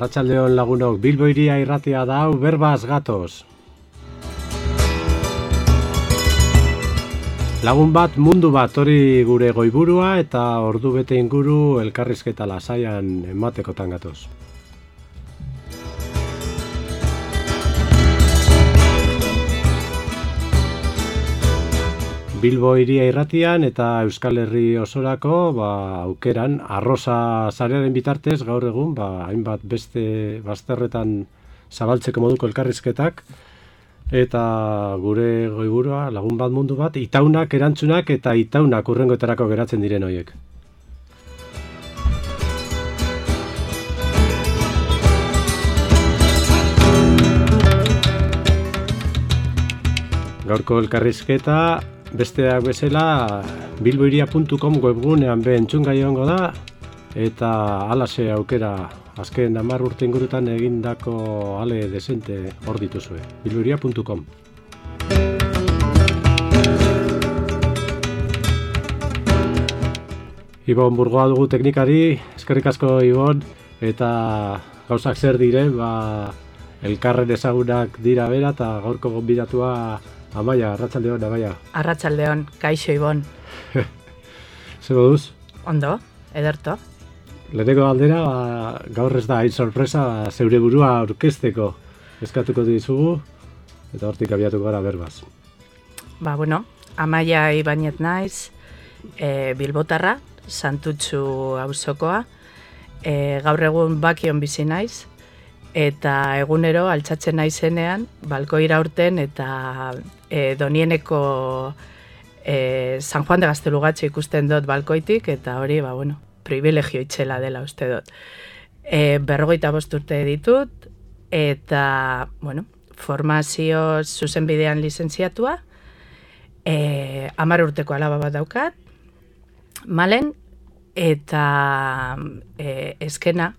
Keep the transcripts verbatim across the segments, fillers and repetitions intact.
Arratsaldeon lagunok, Bilbo Hiria irratia da hau, berbaz gatoz. Lagun bat, mundu bat, hori gure goiburua eta ordu bete inguru elkarrizketa lasaian ematekotan gatoz. Bilbo Hiria irratian eta Euskal Herri osorako ba, aukeran arroza sarearen bitartez gaur egun ba, hainbat beste bazterretan zabaltzeko moduko elkarrizketak eta gure goiburua lagun bat mundu bat itaunak erantzunak eta itaunak hurrengoetarako geratzen diren horiek. Gaurko elkarrizketa besteak bezala bilbohiria puntu com webgunean be entzungai egongo da eta halaxe aukera azken hamar urte ingurutan egindako ale desente hor dituzue. bilbohiria puntu com. Ibon Burgoa dugu teknikari, eskerrik asko Ibon, eta gauzak zer dire, ba, elkarren ezagunak dira bera eta gaurko gonbidatua Amaia, arratsaldeon, Amaia. Arratsaldeon, kaixo Ibon. Zer moduz? Ondo, ederto. Leheneko galdera, ba, gaur ez da hain sorpresa, ba, zeure burua aurkezteko eskatuko dizugu, eta hortik abiatuko gara berbaz. Ba, bueno, Amaia Ibainet naiz, e, Bilbotarra, Santutxu auzokoa, e, gaur egun Bakion bizi naiz, eta egunero altxatzen naizenean, balkoira urten eta e, Donieneko e, San Juan de Gaztelugatxe ikusten dut balkoitik, eta hori, ba, bueno, privilegio itxela dela uste dut. E, berrogeita bost urte ditut, eta, bueno, formazio zuzenbidean lizentziatua, e, hamar urteko alaba bat daukat, malen, eta e, eskena,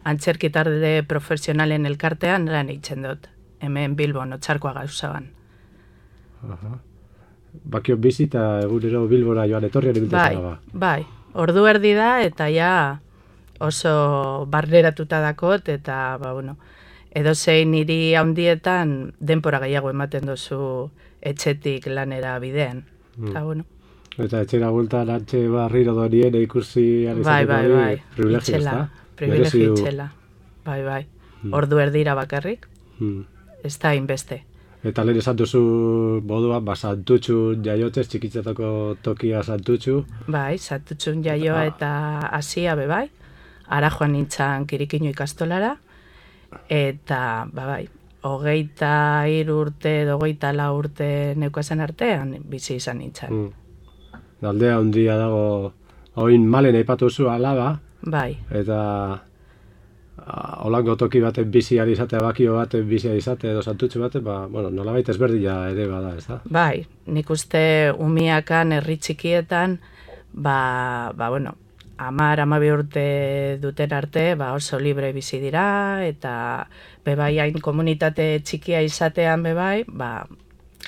antzerki talde profesionalen elkartean lan eitzen dut, hemen Bilbon, Otsarkoa gauzaban. Aha. Bakion bizi eta egunero Bilbora joan etorrian ibiltzen ba. Bai, ordu erdi da eta ja oso barneratuta dakot eta ba, bueno, edozein hiri handietan denpora gehiago ematen duzu etxetik lanera bidean. Mm. Eta bueno. Eta etxera bueltan antxe barriro Donien ikusi bai, bai, bai. privilegio, ezta? Privilegio itxela, bai, bai. Hmm. Ordu erdira bakarrik, hmm. ez da inbeste. Eta lehen esan duzu moduan, ba, Santutxun jaiotzez, txikitzetako tokia Santutxu. Bai, Santutxun jaioa eta hasia be bai, ara joan nintzan Kirikinu ikastolara, eta, ba, bai, hogeita hiru urte, hogeita lau urte neukazen artean, bizi izan nintzan. Hmm. Aldea handia dago, oin malen aipatu zu alaba, bai. Eta holango toki baten bizi ari izatea, Bakio baten bizi ari izatea edo Santutxu baten, ba, bueno, nolabait ezberdina ere bada, ez da? Bai, nik uste umiakan herri txikietan, ba, ba bueno, hamar, hamabi urte duten arte, ba, oso libre bizi dira, eta bebai hain komunitate txikia izatean bebai, ba,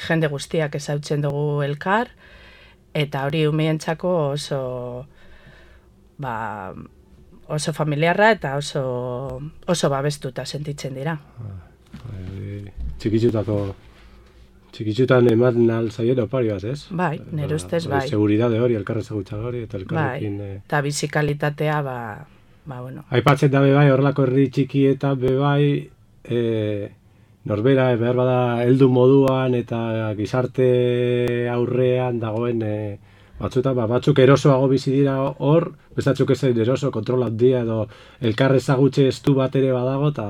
jende guztiak ezautzen dugu elkar, eta hori umientzako oso ba, oso familiarra eta oso, oso babestuta sentitzen dira. Txikitxutako, txikitxutan eman alzaien opari bat, ez? Bai, nire ustez, bai. Seguridade hori, elkarre segutza hori, eta elkarrekin... Bai, eta bizikalitatea, ba, ba, bueno. Aipatzen da bebai, horrelako herri txikietan bebai, e, norbera, behar bada, heldu moduan eta gizarte aurrean dagoen... E, Batzuta, ba, batzuk erosoago bizi dira hor, bestatzuk ezen eroso, kontrol handia edo elkar ezagutxe estu bat ere badago, eta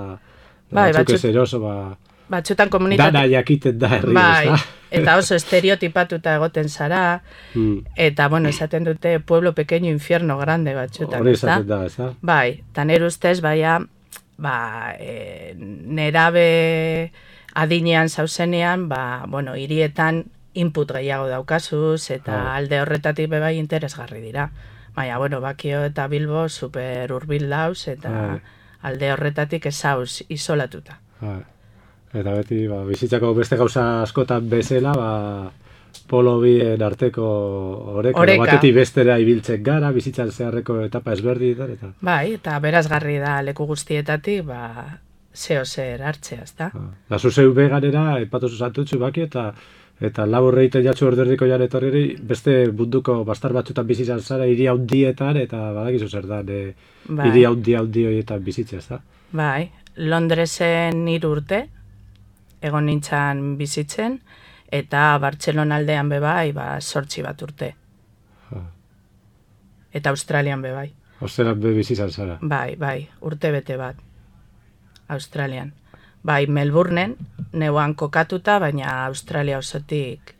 bai, batzuk ez eroso, ba, batzutan komunitate... dana jakiten da herri, bai, eta oso estereotipatuta egoten zara, mm. eta, bueno, esaten dute pueblo pequeño infierno grande batzutan, hori esaten da, ez da? Bai, eta nire ustez, baina, ba, e, nerabe adinean zauzenean, ba, bueno, hirietan input gehiago daukazuz, eta oh. alde horretatik bebai interesgarri dira. Baina, bueno, Bakio eta Bilbo super hurbil dauz, eta oh. alde horretatik ezauz isolatuta. Oh. Eta beti, ba, bizitzako beste gauza askotan bezala, ba, polo bien arteko oreka, Oreka. batetik bestera ibiltzen gara, bizitzan zeharreko etapa ezberdinetan, eta... Bai, eta berazgarri da leku guztietatik, ba, zeo zer hartzea, ezta? Da, zuzeu beganera, epatozu santutxu baki, eta eta laburre egiten jatzu orderdiko jan etorri, beste munduko bastar batzutan bizitzan zara, hiri handietan, eta badakizu zer da, e, Bai. hiri handi handi horietan bizitzea, ezta? Bai, Londresen hiru urte, egon nintzan bizitzen, eta Bartzelona aldean bebai, ba, sortzi bat urte. Ha. Eta Australian bebai. Osteran be bizitzan zara. Bai, bai, urte bete bat. Australian. Bai, Melbourneen, neuan kokatuta, baina Australia osotik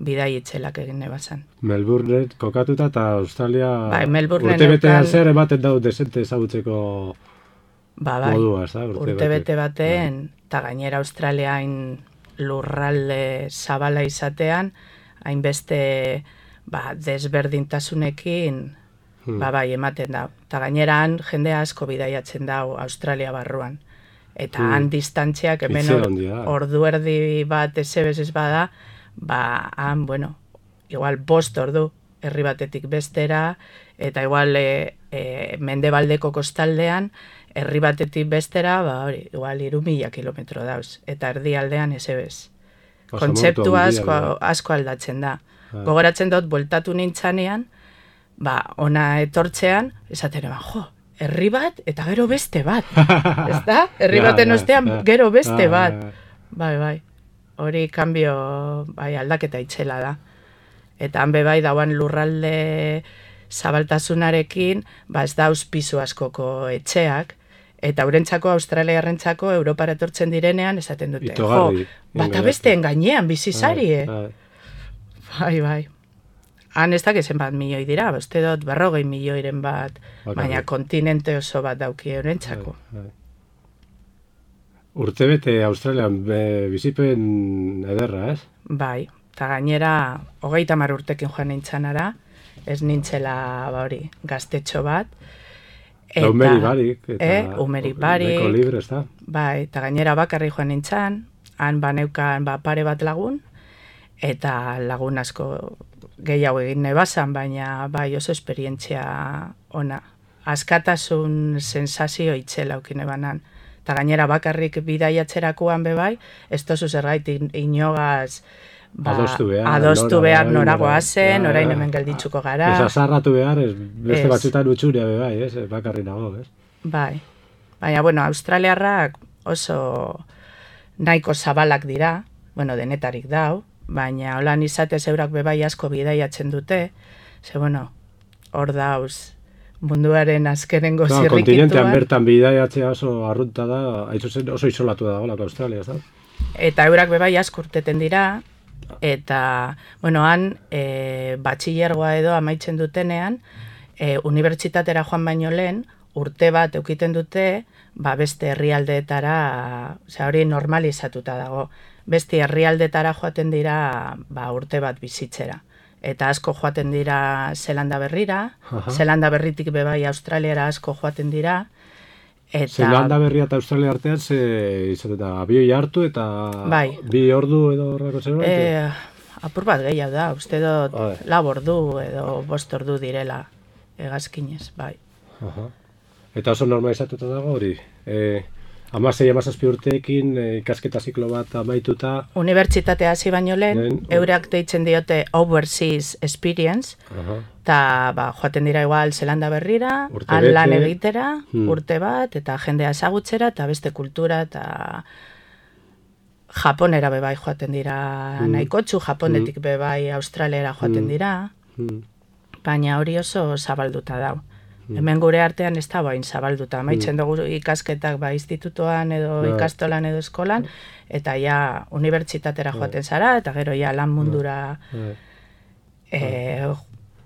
bidai itzelak egin nebazan. Melbourne kokatuta eta Australia Bai, Melbourneen urte betean neukan- zer ematen dau desente ezagutzeko Ba, bai, modua, ez da? urte bete baten, eta gainera Australiain lurralde zabala izatean, hainbeste ba, desberdintasunekin Hmm. ba, bai, ematen da. Eta gaineran jende asko bidaiatzen dau Australia barruan. Eta Hmm. han distantziak hemen Itzel or- handia. ordu erdi bat ezebez ez bada, ba, han, bueno, igual bost ordu herri batetik bestera, eta igual e, e, mendebaldeko kostaldean, herri batetik bestera, ba, hori, igual iru mila kilometro dauz, eta erdialdean ezebez. Oso Kontzeptu montu handia, asko, bai. asko aldatzen da. Bai. Gogoratzen dut, bueltatu nintzanean, ba, ona etortzean, esaten eban, jo, herri bat eta gero beste bat. Ezta? Herri Ja, baten ja, ostean ja. gero beste Ja, bat. ja, ja. Bai, bai. Hori kanbio, bai, aldaketa itxela da. Eta han be bai dauan lurralde zabaltasunarekin, ba ez dauz pisu askoko etxeak, eta eurentzako, australiarrentzako, Europara etortzen direnean, esaten dute, Itogarri, jo, bata engainatu. besteen gainean bizizarie. Bai, Bai, bai. Han ez dakizen bat milioi dira, ba, uste dut berrogei milioiren bat, Bakarrik. baina kontinente oso bat dauki eurentzako. bai, bai. Urtebete Australian be, bizipen ederra, ez? Bai, eta gainera, hogeita hamar urtekin joan nintzanara, ez nintzela, ba hori, gaztetxo bat. Eta umeri barik. Eta Eh, umeri barik. Neko libre, ez da? Bai, eta gainera bakarri joan nintzan, han baneukan ba, pare bat lagun, eta lagun asko gehiago egin nebazan, baina bai oso esperientzia ona. Askatasun sensazio itxela aukin ebanan. Eta gainera bakarrik bidaiatzerakoan bebai, ez tozu zergaitik inogaz ba, Adostu behar, adostu nora, behar bai, norago nora. azen, Ja, orain ja. hemen gelditzuko gara. Ez azarratu behar, ez, beste Ez. batzutan utxuria be bai, ez? Bakarri nago, ez? Bai, baina, bueno, australiarrak oso nahiko zabalak dira, bueno, denetarik dau, baina holan izatez eurak bebai asko bidaiatzen dute, ze, bueno, hor dauz munduaren azkenengo No, kontinentean zirrikituan, bertan bidaiatzea oso arrunta da, hain zuzen oso isolatu da golako Australia, ez da? eta eurak bebai asko urteten dira, eta, bueno, han, e, batxillergoa edo amaitzen dutenean, e, unibertsitatera joan baino lehen, urte bat eukiten dute, ba beste herrialdeetara, osea hori normalizatuta dago. Beste herrialdetara joaten dira, ba urte bat bizitzera. Eta asko joaten dira Zelanda berrira, Aha. Zelanda berritik bebai Australiara asko joaten dira, eta Zelanda berria eta Australia artean ze izaten da, abioi hartu eta Bai. bi ordu edo horreko zerbait? e, apur bat gehiago da, uste dut Bai. lau ordu edo bost ordu direla hegazkinez, bai. Aha. Eta oso normalizatuta dago hori. E, amasei, amazazpi urteekin e, ikasketa ziklo bat amaituta. Unibertsitatea hasi baino lehen, Lehen, eurak deitzen diote Overseas Experience, Aha. eta ba, joaten dira igual Zelanda berrira, Urte han lan bete. egitera, Hmm. urte bat, eta jendea ezagutzera, eta beste kultura, eta Japonera bebai joaten dira Hmm. nahikotxu, Japonetik bebai Australiara joaten Hmm. dira, Hmm. baina hori oso zabalduta dau. Hemen gure artean ez da bain zabalduta. Amaitzen dugu ikasketak ba institutoan edo Bai. ikastolan edo eskolan, eta ja unibertsitatera joaten zara, eta gero ja lan mundura Bai. eh,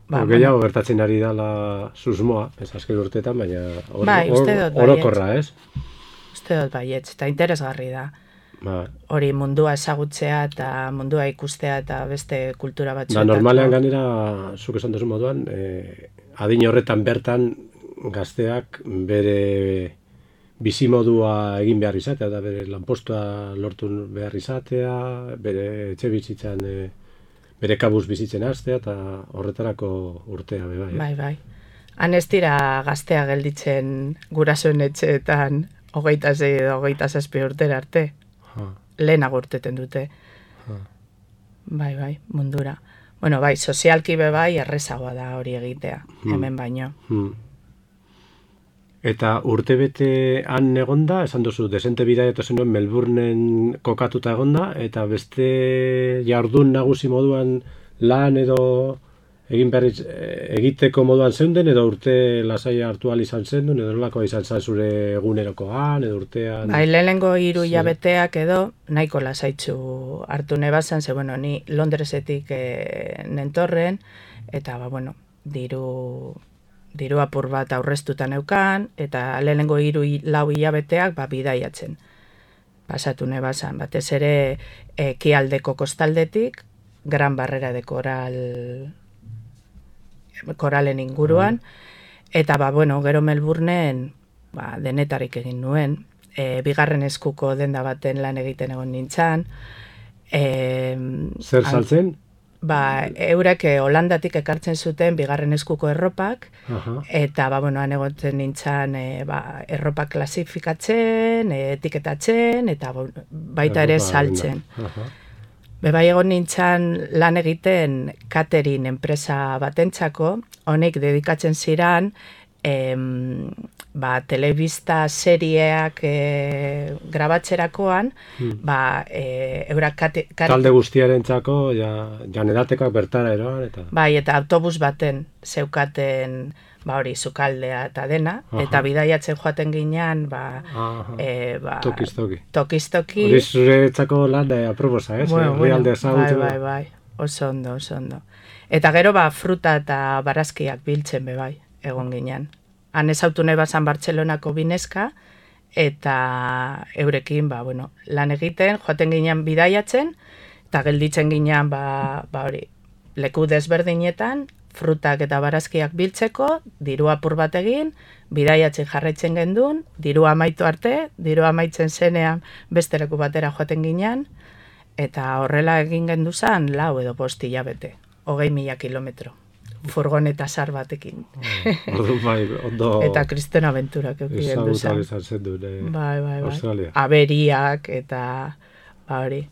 Ba, gehiago gertatzen ari dala susmoa, ez azken urteetan, baina or, Bai, uste dut baietz. orokorra, ez? uste dut baietz, eta interesgarri da. Ba, Hori mundua ezagutzea eta mundua ikustea eta beste kultura da, batzuetako. normalean ganera, zuk esan duzu moduan, e, adin horretan bertan gazteak bere bizimodua egin behar izatea, da bere lanpostua lortu behar izatea, bere etxe bizitzan e, bere kabuz bizitzen hastea, eta horretarako urtea, be bai. Bai, bai. Han ez dira gaztea gelditzen gurasoen etxeetan hogeita zei edo hogeita zazpi urtera arte. Ha. Lehenago urteten dute. Ha. Bai, bai, mundura. Bueno, bai, sozialki be bai, errezagoa da hori egitea, Hmm. hemen baino. Hmm. Eta urtebete han egonda, esan duzu, desente bidaiatu zenuen Melbourneen kokatuta egonda, eta beste jardun nagusi moduan lan edo egin behar iz- egiteko moduan zeunden, edo urte lasai hartu ahal izan zendun, edo nolakoa izan zen zure egunerokoan, edo urtean... Bai, lehenengo hiru Sí. hilabeteak edo nahiko lasaitzu hartu nebazan, ze bueno, ni Londresetik e, nentorren, eta ba, bueno, diru, diru apur bat aurreztuta neukan, eta lehenengo hiru hi- lau hilabeteak ba, bidaiatzen. Pasatu nebazan, batez ere ekialdeko kostaldetik, Gran Barrera de Coral koralen inguruan, eta ba, bueno, gero Melbourneen ba, denetarik egin nuen, e, bigarren eskuko denda baten lan egiten egon nintzan, e, Zer saltzen? ba, eurek eh, Holandatik ekartzen zuten bigarren eskuko erropak, Aha. eta ba, bueno, han egoten nintzan e, ba, erropak klasifikatzen, e, etiketatzen, eta ba, baita ere Erropa saltzen. denda. Aha. Bebai egon nintzan lan egiten catering enpresa batentzako, honek dedikatzen ziran em, ba, telebista serieak e, grabatzerakoan, Hmm. ba, e, eurak kate, kate, Talde guztiarentzako ja, janedatekak bertara eroan, eta... bai, eta autobus baten zeukaten ba hori sukaldea eta dena, Aha. eta bidaiatzen joaten ginean, ba, Aha. e, ba Tokiz toki. tokiz-toki, Hori zuretzako lan eh, aproposa, ez? bueno, Herrialde bueno, bai, ezagutu. bai, bai, oso ondo, oso ondo. Eta gero ba fruta eta barazkiak biltzen be bai, egon ginean. Han ezautu nahi bazan Bartzelonako bineska, eta eurekin, ba, bueno, lan egiten, joaten ginean bidaiatzen, eta gelditzen ginean, ba, ba hori, leku desberdinetan, frutak eta barazkiak biltzeko, diru apur bat egin, bidaiatzen jarraitzen gendun, diru amaitu arte, diru amaitzen zenean beste leku batera joaten ginean, eta horrela egin genduzan lau edo bost hilabete, hogei mila kilometro, furgoneta sar batekin. Orduan bai, ondo... Eta kristen abenturak euki ezagutu genduzan. ahal izan zen duen, eh, Bai, bai, bai. Australia. Aberiak eta ba hori.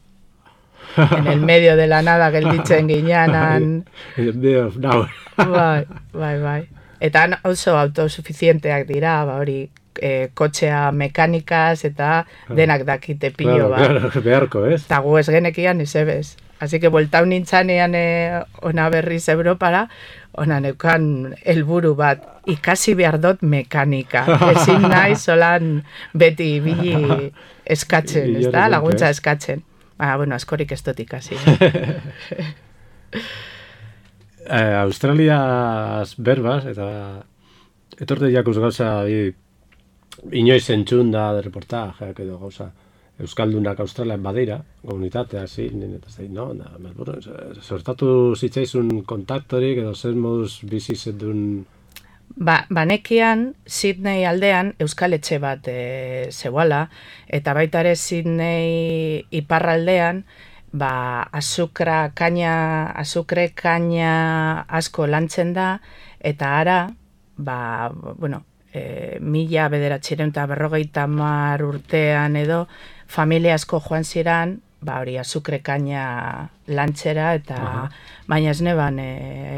En el medio de la nada gelditzen gineanan. In the middle of nowhere. Bai, bai, bai. Eta han oso autosuficienteak dira, ba hori, e, kotxea mekanikaz eta denak dakite pilo Claro, bat. claro, beharko, ez? Eta gu ez genekian izebez. Así que bueltau nintzanean e, ona berriz Europara, ona neukan helburu bat, ikasi behar dut mekanika. Ezin nahi solan beti ibili eskatzen, ez da, Inora laguntza kontu, ez? eskatzen. Ba, bueno, askorik ez dut ikasi. Eh, Australiaz berbaz, eta etorte jakuz gauza bi, inoiz entzun da de reportajeak edo gauza Euskaldunak Australian badira, komunitatea zin, eta zein, no? Da, Melbourne, sortatu zitzaizun kontaktorik edo zer moduz bizi zendun... Ba, banekian, Sydney aldean Euskal Etxe bat e, zeuala, eta baita ere Sydney iparraldean, ba, azukra, kaina, azukre kaina asko lantzen da, eta ara, ba, bueno, e, mila bederatzireun eta berrogeita hamar urtean edo, familia asko joan ziran, ba, hori azukre kaina lantzera, eta Aha. baina ez neban e,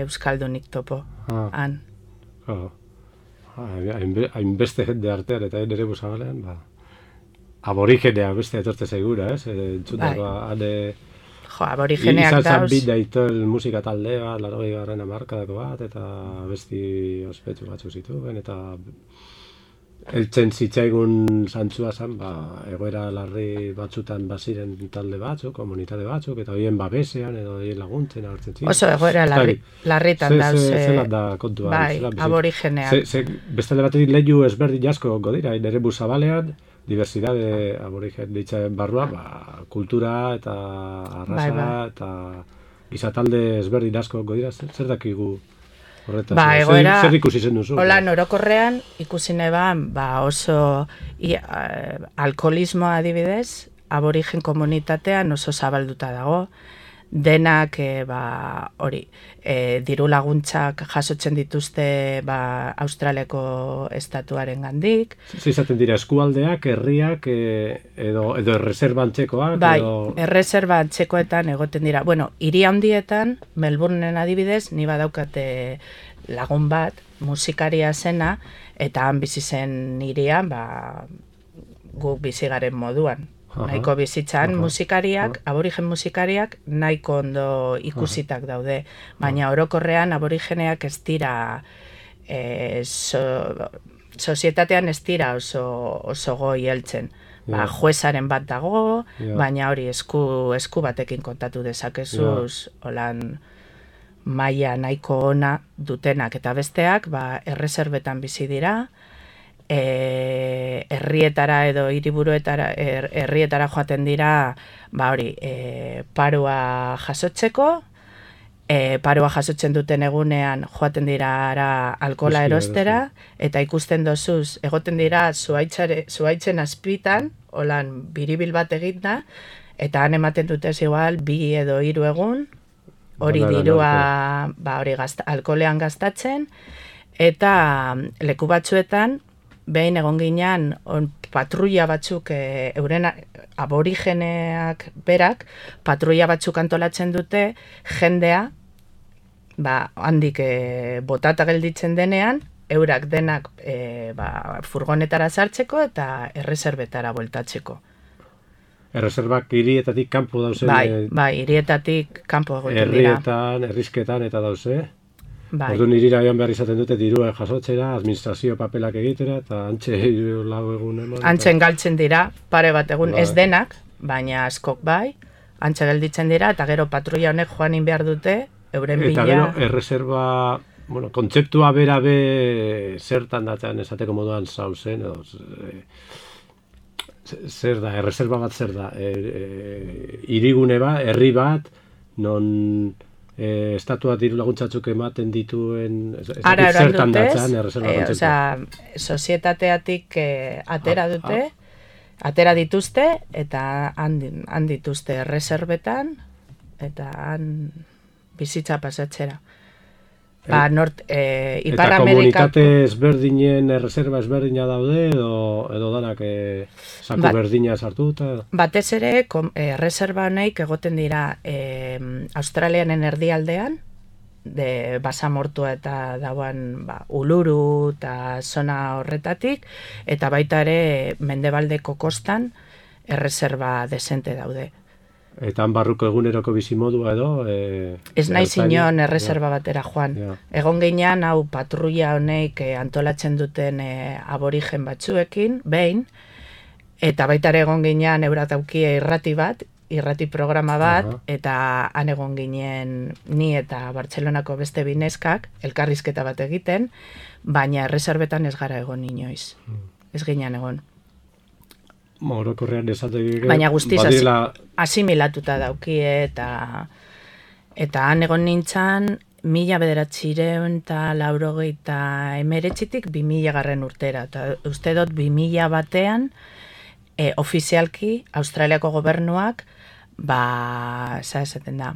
Euskaldunik topo, Ah. han. Claro. Hainbe- Hainbeste jende artean eta nire busagalean, ba, aborigenea beste etorte segura, ez? Entzundakoa, ane... Jo, aborigeneak Izan zan dauz. bit daitol musika talde bat, larogei garren hamarkadako bat, eta besti ospetsu batzuk zituen, eta heltzen zitzaigun zantzua zen, ba, egoera larri batzutan baziren talde batzuk, komunitate batzuk, eta horien babesean, edo horien laguntzen agertzen ziren. Oso egoera larri, larritan Ze- dauz. ze- eh, zelan da kontua. bai, zelan bizi- aborigeneak. Ze, ze, bestele batetik lehiu ezberdin asko godira, nire busabalean, diversidade aborigen ditzen barrua, ba, kultura eta arrasa Bai, bai. eta gizatalde ezberdin asko godira, zer, zer dakigu horretaz? Ba, Zer- egoera, zer, ikusi zen duzu? hola norokorrean ikusi neban, ba, oso i, a, alkoholismoa adibidez, aborigen komunitatean oso zabalduta dago, denak e, ba, hori, e, diru laguntzak jasotzen dituzte ba, Australiako estatuaren gandik. Zizaten dira eskualdeak, herriak, e, edo, edo erreserbantzekoak? Bai, edo... erreserbantzekoetan egoten dira. Bueno, hiri handietan, Melbourneen adibidez, ni badaukate lagun bat, musikaria zena, eta han bizi zen hirian, ba, guk bizi garen moduan. Aha. Nahiko bizitzan Aha. musikariak, Aha. aborigen musikariak, nahiko ondo ikusitak daude. Baina Aha. orokorrean aborigeneak ez dira, e, so, sozietatean ez dira oso, oso goi heltzen. Ba, yeah. juezaren bat dago, yeah. baina hori esku, esku batekin kontatu dezakezuz, yeah. holan maila nahiko ona dutenak eta besteak, ba, erreserbetan bizi dira, E, herrietara edo hiriburuetara er, herrietara joaten dira ba hori e, paroa jasotzeko e, paroa jasotzen duten egunean joaten dira ara alkola erostera eta ikusten dozuz egoten dira zuaitzare, zuaitzen azpitan holan biribil bat eginda eta han ematen dute igual bi edo hiru egun hori dirua ba hori gazta, alkolean gastatzen eta leku batzuetan behin egon ginean patrulla batzuk e, euren aborigeneak berak patrulla batzuk antolatzen dute jendea ba, handik e, botata gelditzen denean eurak denak e, ba, furgonetara sartzeko eta erreserbetara bueltatzeko. Erreserbak hirietatik kanpo dauze? Bai, bai, hirietatik kanpo egoten dira. Herrietan, herrizketan eta dauze? Bai. Orduan irira joan behar izaten dute dirua jasotzera, administrazio papelak egitera, eta antxe lau egun eman. Antzen galtzen dira, pare bat egun, bai. Ez denak, baina askok bai, antxe gelditzen dira, eta gero patrulla honek joanin behar dute, euren bila... Eta gero, erreserba, bueno, kontzeptua bera be zertan datzen esateko moduan zauzen, edo... E, zer da, erreserba bat zer da, e, e, irigune bat, herri bat, non... E, estatua diru laguntzatzuk ematen dituen ara zertan dutez, datzan erreserba e, osea, sozietateatik e, atera ah, dute, ah. atera dituzte eta han, han dituzte erreserbetan eta han bizitza pasatzera. Ba, nort, e, Ipar eta Amerikako... komunitate ezberdinen erreserba ezberdina daude edo, edo danak e, saku ba, berdina sartuta? Batez ere, kom, e, erreserba honeik egoten dira e, Australianen erdialdean, de basamortua eta dauan ba, Uluru eta zona horretatik, eta baita ere mendebaldeko kostan erreserba desente daude. Eta han barruko eguneroko bizimodua edo... E, ez nahi zinon erreserba ja. batera joan. Ja. Egon ginean, hau patrulla honeik e, antolatzen duten e, aborigen batzuekin, behin, eta baita ere egon ginean eurat aukia irrati bat, irrati programa bat, uh -huh. eta han egon ginen ni eta Bartzelonako beste bineskak, elkarrizketa bat egiten, baina erreserbetan ez gara egon inoiz. Hmm. Ez ginean egon. Orokorrean esatek baina guztiz badila... asimilatuta daukie eta eta han egon nintzan mila bederatzireun eta laurogeita emeretzitik bi mila garren urtera eta uste dut bi mila batean e, ofizialki Australiako gobernuak ba, za esaten da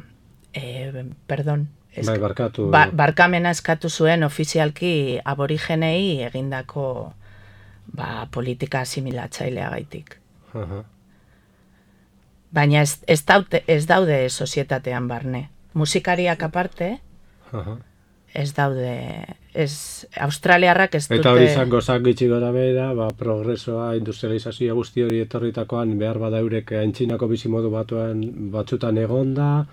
e, perdon esk, bai, barkatu. Ba, barkamena eskatu zuen ofizialki aborigenei egindako ba, politika asimilatzailea gaitik. Uh-huh. Baina ez, ez, daude, ez daude sozietatean barne. Musikariak aparte, uh-huh. ez daude, ez, australiarrak ez dute... Eta hori izango zangitxi gara bera, ba, progresoa, industrializazioa guzti hori etorritakoan, behar bada eurek aintzinako bizimodu batuan batzutan egonda,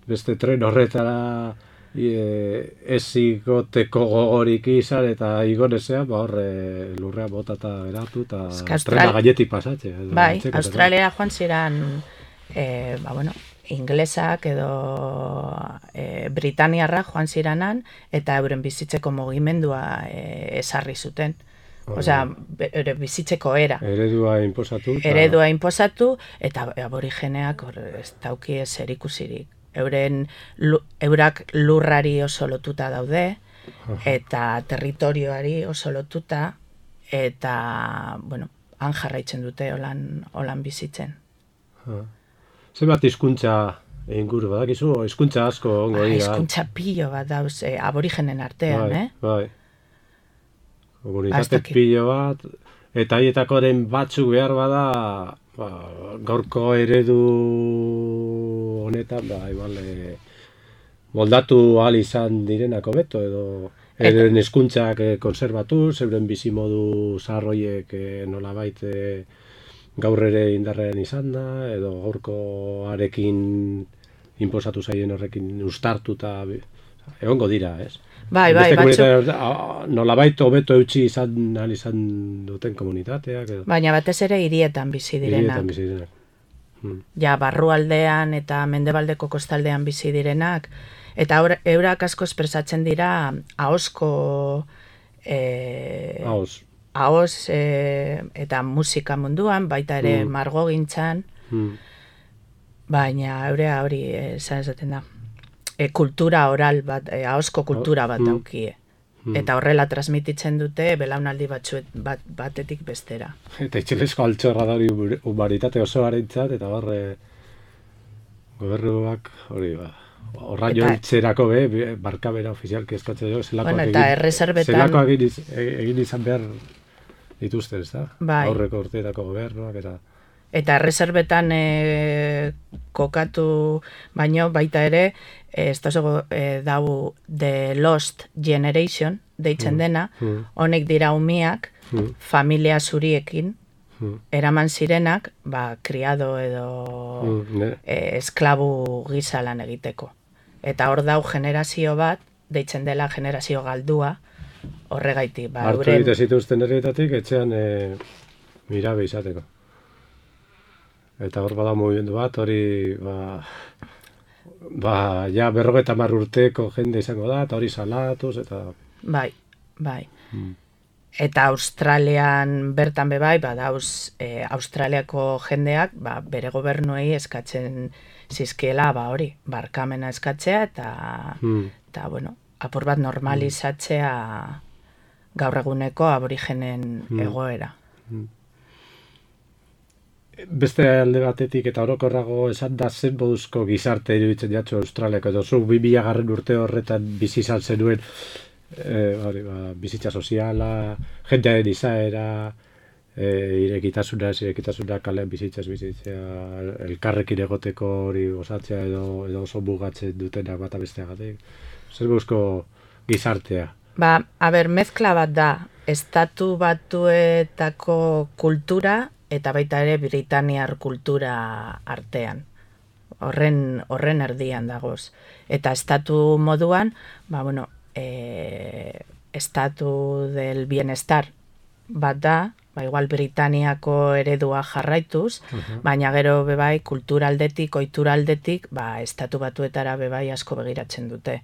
beste tren horretara... E, ez igoteko gogorik izan eta igonezea ba horre lurrea bota eta eratu eta trena gainetik pasatxe. Bai, Australia joan ziren e, ba, bueno, inglesak edo e, Britaniarra joan ziranan eta euren bizitzeko mugimendua e, esarri zuten. Osea, ere bizitzeko era. Eredua inposatu. Ta... Eredua inposatu eta aborigeneak hor ez dauki ezer ikusirik. Euren, eurak lurrari oso lotuta daude, eta territorioari oso lotuta, eta, bueno, han jarraitzen dute holan, holan bizitzen. Zenbat hizkuntza inguru badakizu, hizkuntza asko ongo Ah, dira. hizkuntza pilo bat dauz, eh, aborigenen artean, bai, eh? Bai, komunitate Bastakit. pilo bat, eta hietakoren batzuk behar bada, ba, gaurko eredu honetan, ba, igual, e, moldatu ahal izan direnak hobeto, edo euren hizkuntzak e, konserbatu, euren bizimodu zaharroiek e, nolabait e, gaur ere indarrean izan da, edo gaurkoarekin inposatu zaien horrekin ustartuta egongo dira, ez? Bai, bai, batzuk... Nolabait hobeto eutxi izan, ahal izan duten komunitateak, edo... Baina batez ere hirietan bizi direnak. Hirietan bizi direnak. Hmm. Ja, barrualdean eta mendebaldeko kostaldean bizi direnak, eta eurak asko espresatzen dira ahozko... Eh, Ahoz. Ahoz eh, eta musika munduan, baita ere Hmm. margogintzan, Hmm. baina eurea hori esan esaten da. E, kultura oral bat, e, ahozko kultura bat Hmm. daukie. Eta horrela transmititzen dute belaunaldi batzuet, bat, batetik bestera. Eta itxelesko altxorra da hori humanitate osoarentzat, eta horre gobernuak hori ba. Horra Eta- joitzerako be, be, barkabera ofizialki eskatzen jo, zelakoak Bueno, eta egin, erreserbetan- zelakoak egin, iz- e- egin izan behar dituzten, ez da? Bai. Aurreko urteetako gobernuak, eta... Eta erreserbetan e, kokatu baino baita ere, e, ez da e, dau The Lost Generation, deitzen dena, mm. honek dira umiak, Mm. familia zuriekin, Mm. eraman zirenak, ba, kriado edo Mm, ne? e, esklabu gisa lan egiteko. Eta hor dau generazio bat, deitzen dela generazio galdua, horregaitik. Ba, Hartu euren- egite zituzten herrietatik, etxean e, mirabe izateko. Eta hor bada mugimendu bat, hori, ba, ba, ja berrogeta hamar urteko jende izango da, eta hori salatuz, eta... Bai, bai. Mm. Eta Australian bertan be bai, badauz e, Australiako jendeak ba, bere gobernuei eskatzen zizkiela ba hori, barkamena eskatzea eta, Mm. eta bueno, apur bat normalizatzea gaur eguneko aborigenen Mm. egoera. Beste alde batetik eta orokorrago esan da zen moduzko gizarte iruditzen jatzu Australiako, edo zu bi mila garren urte horretan bizi izan zenuen, e, hori, ba, bizitza soziala, jendearen izaera, e, irekitasuna, ez irekitasuna, kalean bizitzaz bizitzea, elkarrekin egoteko hori osatzea edo, edo oso mugatzen dutenak bata besteagatik. Zer moduzko gizartea? Ba, a ber, mezkla bat da, estatu batuetako kultura eta baita ere Britaniar kultura artean. Horren, horren erdian dagoz. Eta estatu moduan, ba, bueno, e, estatu del bienestar bat da, ba, igual Britaniako eredua jarraituz, Uh-huh. baina gero bebai kulturaldetik, ohituraldetik, ba, estatu batuetara bebai asko begiratzen dute.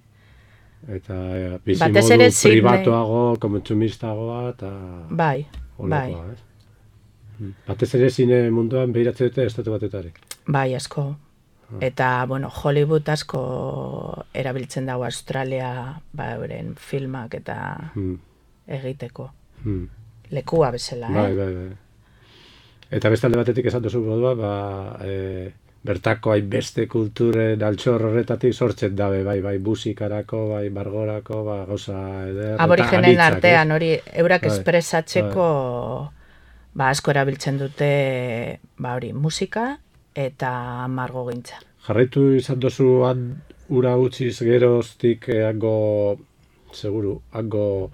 Eta e, bizi Batez modu ere Sydney- pribatuago, kontsumistagoa, eta... Bai, bai, Olakoa, ez? Batez ere zine munduan behiratzen dute estatu batetari. bai asko. Eta, bueno, Hollywood asko erabiltzen dago Australia, ba, euren filmak eta Hmm. egiteko. Hmm. Lekua bezala, Bai, eh? bai, bai. Eta beste alde batetik esan duzu modua, ba, e, bertako hainbeste kulturen altxor horretatik sortzen dabe, bai, bai, musikarako, bai, margorako, ba, gauza eder. eta Aborigenen anitzak, artean, ez? hori, eurak Bai, espresatzeko, ba, asko erabiltzen dute, ba, hori, musika eta margogintza. Jarraitu izan duzu han ura utziz geroztik eh, hango, seguru, hango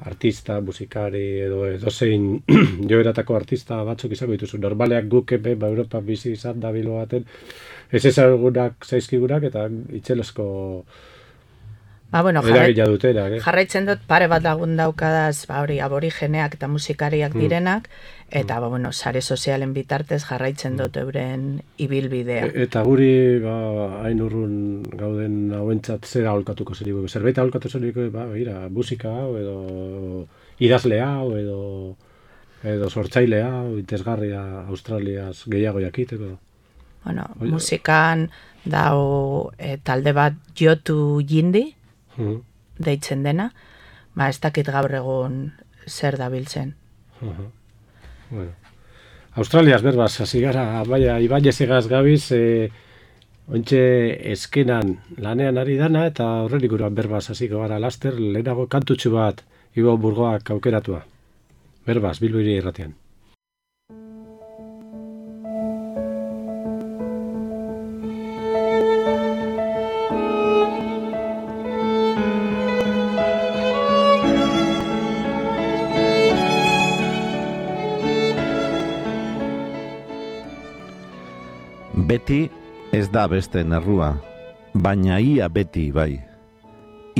artista, musikari edo edozein joeratako artista batzuk izango dituzu. Normaleak guk hemen, ba, Europa bizi izan da bilo baten, ez ezagunak zaizkigunak eta itxelezko Ba, bueno, jarra, eragina dutenak, eh? jarraitzen dut pare bat lagun daukadaz, ba, hori, aborigeneak eta musikariak Mm. direnak, eta, ba, bueno, sare sozialen bitartez jarraitzen dut euren ibilbidea. E- Eta guri, ba, hain urrun gauden hauentzat zera aholkatuko zenigu. Zerbait aholkatu zenigu, ba, begira, musika hau, edo idazle hau, edo edo sortzaile hau, interesgarria Australiaz gehiago jakiteko. Bueno, Oia. musikan dau e, talde bat Jotu Jindi, Mhm, deitzen dena, ba, ez dakit gaur egun zer dabiltzen. mhm. Bueno. Australiaz berbaz, hasi gara, baina, Ibañez egaz gabiz, e, Ontxe eskenan lanean ari dana, eta horren ikuruan berbaz hasiko gara laster, lehenago kantutxu bat Ibo Burgoak aukeratua. Berbaz, Bilbo Hiri Irratian. Beti ez da beste errua, baina ia beti bai.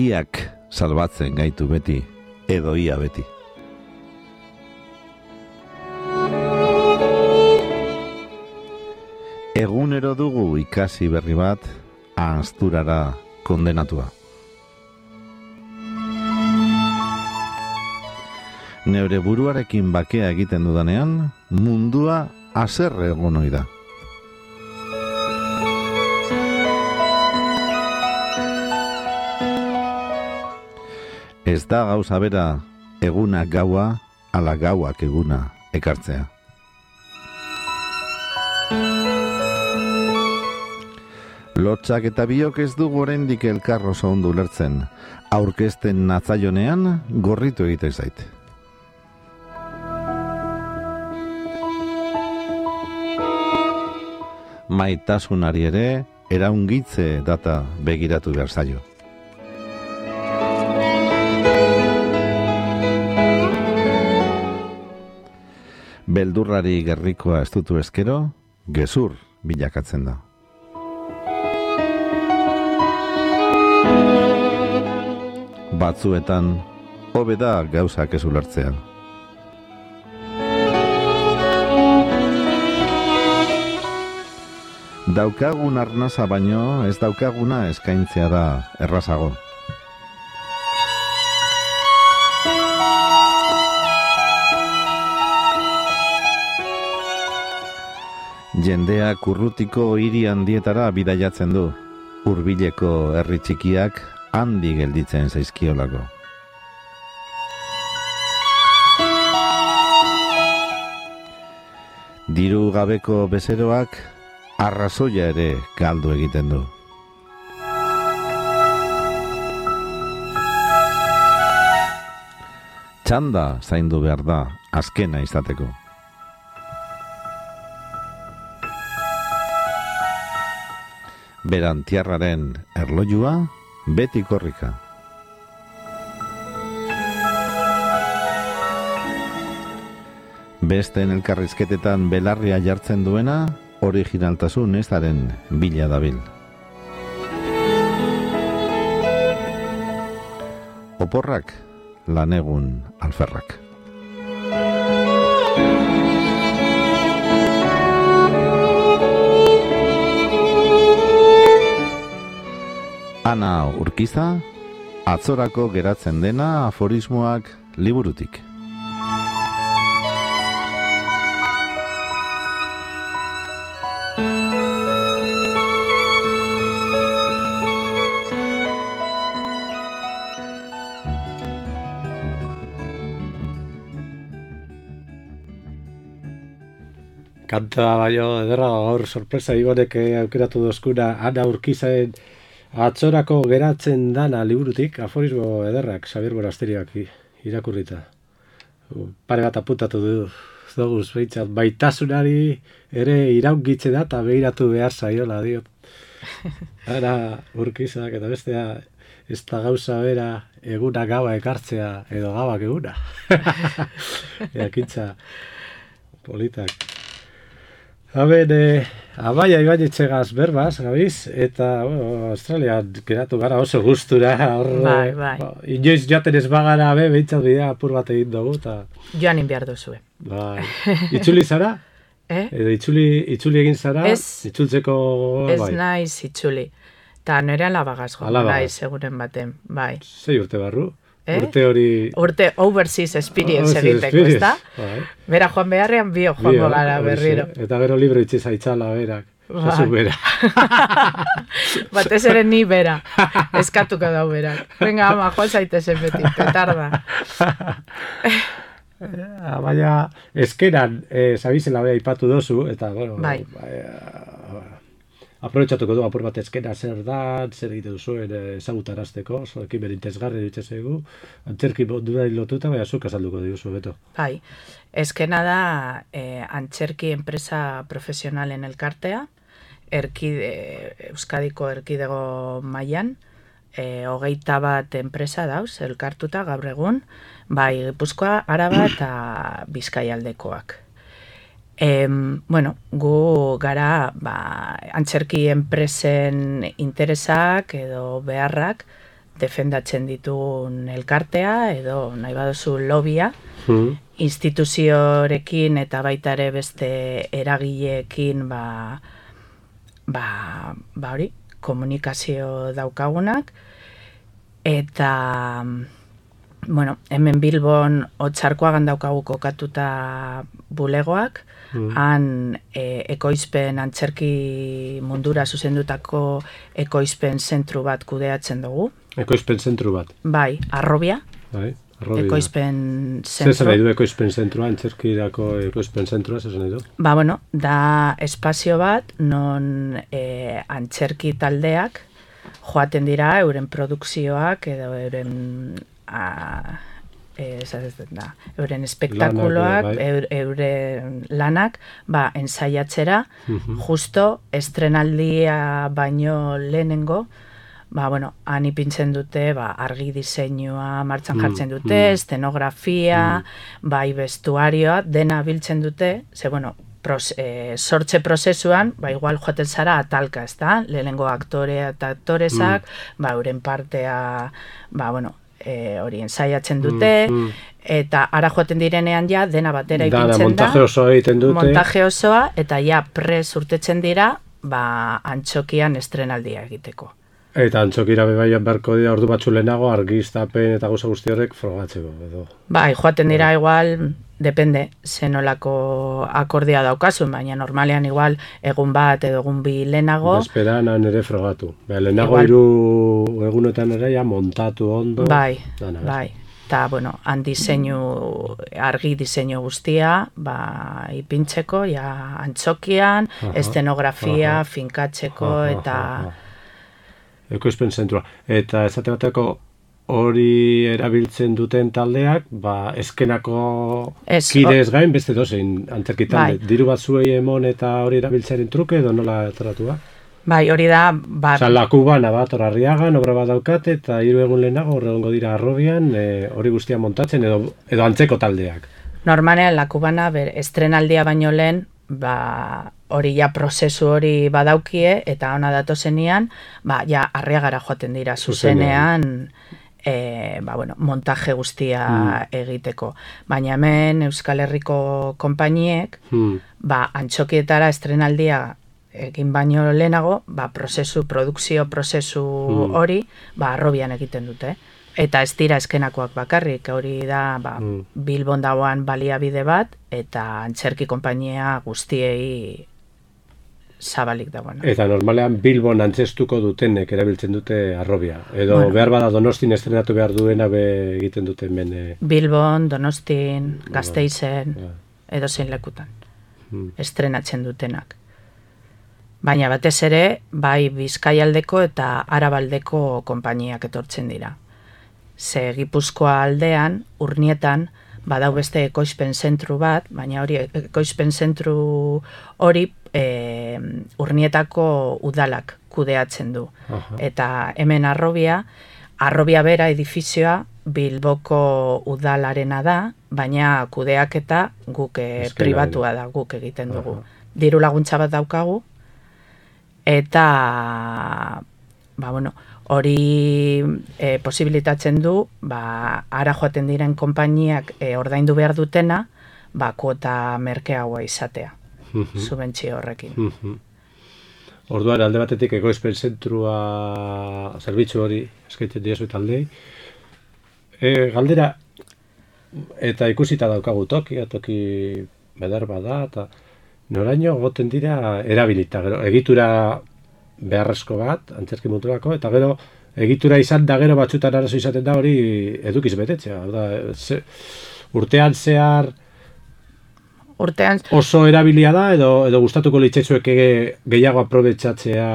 Iak salbatzen gaitu beti, edo ia beti. Egunero dugu ikasi berri bat, ahazturara kondenatua. Neure buruarekin bakea egiten dudanean, mundua haserre egon ohi da. Ez da gauza bera eguna gaua, ala gauak eguna ekartzea. Lotsak eta biok ez dugu oraindik elkar oso ondo ulertzen, aurkezten natzaionean gorritu egiten zait. Maitasunari ere eraungitze data begiratu behar zaio. Beldurrari gerrikoa estutu eskero, gezur bilakatzen da. Batzuetan, hobe da gauzak ez ulertzea. Daukagun arnasa baino ez daukaguna eskaintzea da errazago. Jendeak urrutiko hiri handietara bidaiatzen du, hurbileko herri txikiak handi gelditzen zaizkiolako. Diru gabeko bezeroak arrazoia ere galdu egiten du. Txanda zaindu behar da azkena izateko. Berantiarraren erlojua beti korrika. Besteen elkarrizketetan belarria jartzen duena, originaltasun ezaren bila dabil. Oporrak, lanegun alferrak. Ana Urkiza, atzorako geratzen dena aforismoak liburutik. Kanta baino ederra gaur sorpresa Ibonek aukeratu dozkuna Ana Urkizaen atzorako geratzen dana liburutik, aforismo ederrak Xabier Borasteriak irakurrita. Pare bat apuntatu du doguz behintzat, baitasunari ere iraungitze da eta behiratu behar zaiola diot. Ana Urkizak eta bestea ez da gauza bera eguna gaua ekartzea edo gauak eguna. Eakintza politak. Haben, eh, Amaia Ibañetxegaz berbaz, gabiz, eta bueno, Australian geratu gara oso gustura. Hor, bai, bai. Ba, inoiz joaten ez bagara, be, behintzat bidea apur bat egin dugu. Ta... Joan inbiar duzue. Bai. Itzuli zara? Eh? Edo itzuli, itzuli egin zara? Ez. Itzultzeko, Ez bai. naiz itzuli. Ta nire alabagaz Alabagaz. naiz egunen baten, bai. Sei urte barru? Eh? Urte hori... Urte overseas experience Overseas egiteko, experience, ezta? bai. Bera joan beharrean bio joango Bio, gara horixe. berriro. Eta gero libro itxe zaitzala berak. Bai. Zazu bera. Batez ere ni bera. Eskatuko dau berak. Venga, ama, joan zaitezen beti, petarda. Ah, baina eskeran, eh, zabizela bea ipatu dozu, eta, bueno, Bai. eh, aprobetxatuko du apur bat eskena zer da, zer egite duzuen ezagutarazteko, zoekin berintezgarri ditze zaigu, antzerki mundura lotuta, baina zuk azalduko diguzu, Beto. Bai, eskena da eh, antzerki enpresa profesionalen elkartea, erkide, Euskadiko erkidego mailan, e, hogeita bat enpresa dauz, elkartuta gaur egun, bai Gipuzkoa, Araba eta Bizkaialdekoak. E, bueno, gu gara ba, antzerki enpresen interesak edo beharrak defendatzen ditun elkartea edo nahi baduzu lobia, mm. instituziorekin eta baita ere beste eragileekin ba, ba, ba hori, komunikazio daukagunak, eta bueno, hemen Bilbon Otsarkoagan daukagu kokatuta bulegoak, mm. han e, ekoizpen antzerki mundura zuzendutako ekoizpen zentru bat kudeatzen dugu. Ekoizpen zentru bat? Bai, Arrobia. Bai, Arrobia. Ekoizpen zentru. Zer nahi du ekoizpen zentrua, antzerkirako ekoizpen zentrua, zer nahi du? Ba, bueno, da espazio bat, non e, antzerki taldeak joaten dira euren produkzioak edo euren a, e, da, euren espektakuloak, lanak, eur, euren lanak, ba, ensaiatzera, uh-huh. justo estrenaldia baino lehenengo, ba, bueno, han ipintzen dute, ba, argi diseinua martxan jartzen dute, mm, estenografia, mm. bai bestuarioa, dena biltzen dute, ze, bueno, pros, e, sortze prozesuan, ba, igual joaten zara atalka, ez da? Lehenengo aktorea eta aktoresak, mm. ba, euren partea, ba, bueno, e, hori ensaiatzen dute, mm, mm. eta ara joaten direnean ja, dena batera ipintzen da. Montaje osoa egiten dute. Montaje osoa, eta ja, prez urtetzen dira, ba, antxokian estrenaldia egiteko. Eta antzokira bebaian beharko dira ordu batzu lehenago argiztapen eta gauza guzti horrek frogatzeko. Edo. Bai, joaten dira igual, depende, zenolako akordia daukazun, baina normalean igual egun bat edo egun bi lehenago. Bezperan ere frogatu. Ba, lehenago hiru egunetan ere ja montatu ondo. Bai, dana, bai. Eta, bueno, han diseinu, argi diseinu guztia, ba, ipintzeko, ja, antzokian, aha, estenografia, aha, finkatzeko, aha, eta... Aha. Ekoizpen zentrua. Eta esate bateko hori erabiltzen duten taldeak, ba, eskenako es, kidez gain, beste dozein antzerki talde. Bai. Diru bat zuei emon eta hori erabiltzearen truke, edo nola tratua? Bai, hori da... Ba... Osa, Lakubana bat, Arriagan, obra bat daukate, eta hiru egun lehenago, horregongo dira Arrobian, e, hori guztia montatzen, edo, edo antzeko taldeak. Normalean, Lakubana, ber, estrenaldia baino lehen, ba, hori ja prozesu hori badaukie, eta ona datozenean, ba, ja, Arriagara joaten dira zuzenean, e, ba, bueno, montaje guztia mm. egiteko. Baina hemen Euskal Herriko konpainiek, mm. ba, antxokietara estrenaldia egin baino lehenago, ba, prozesu, produkzio prozesu mm. hori, ba, Arrobian egiten dute. Eta ez dira eskenakoak bakarrik, hori da ba, mm. Bilbon dagoan baliabide bat, eta antzerki konpainia guztiei zabalik dagoen. Eta normalean Bilbon antzestuko dutenek erabiltzen dute Arrobia. Edo bueno, behar bada Donostin estrenatu behar duena be egiten dute hemen. E... Bilbon, Donostin, Gasteizen, ja. edo zein lekutan. Mm. Estrenatzen dutenak. Baina batez ere, bai Bizkaialdeko eta Arabaldeko konpainiak etortzen dira. Ze Gipuzkoa aldean, Urnietan, badau beste ekoizpen zentru bat, baina hori ekoizpen zentru hori e, Urnietako udalak kudeatzen du. Aha. Eta hemen Arrobia, Arrobia bera edifizioa Bilboko udalarena da, baina kudeaketa guk e, pribatua da, guk egiten dugu. Aha. Diru laguntza bat daukagu, eta ba, bueno, hori e, posibilitatzen du, ba, ara joaten diren konpainiak e, ordaindu behar dutena, ba, kuota merkeagoa izatea, uh-huh. subentzio horrekin. Uh-huh. Orduan, alde batetik ekoizpen zentrua zerbitzu hori eskaintzen diezu taldei. E, galdera, eta ikusita daukagu tokia, toki bedar bada, eta noraino goten dira erabilita, gero, egitura beharrezko bat, antzerki mundurako, eta gero egitura izan da gero batzutan arazo izaten da hori edukiz betetzea. Da, ze, urtean zehar urtean... Oso erabilia da, edo, edo gustatuko litzaizueke gehiago aprobetxatzea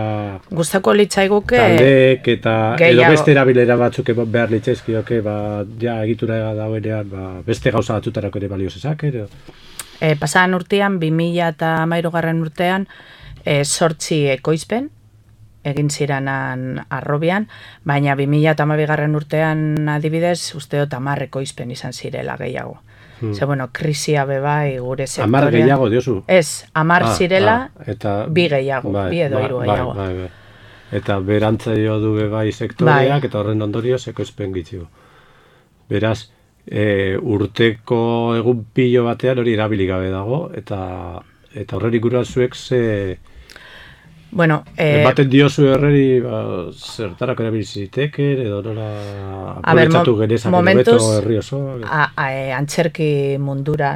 Gustako litzaiguke... taldeek eta gehiago. Edo beste erabilera batzuk behar litzaizkioke, ba, ja, egitura dagoenean, ba, beste gauza batzutarako ere balio zezak, edo? E, pasadan urtean, bi mila hamairugarren urtean, e, sortzi ekoizpen, egin ziranan arrobian, baina bi mila hamabigarren urtean adibidez, uste dut hamar ekoizpen izan zirela gehiago. Hmm. Ze, bueno, krisia bebai gure sektorean. Hamar gehiago, diozu? Ez, hamar ah, zirela, ah, eta, bi gehiago, bai, bi edo bai, hiru bai, gehiago. Bai, bai. Eta berantza jo du bebai sektoreak, bai. Eta horren ondorioz ekoizpen gitzigo. Beraz, e, urteko egun pilo batean hori erabili gabe dago, eta eta horren inguruan zuek ze... Bueno, eh, baten diozu herreri ba, zertarako erabiliziteke, edo nola aprobetxatu genezak edo herri oso. A, a, e, antzerki mundura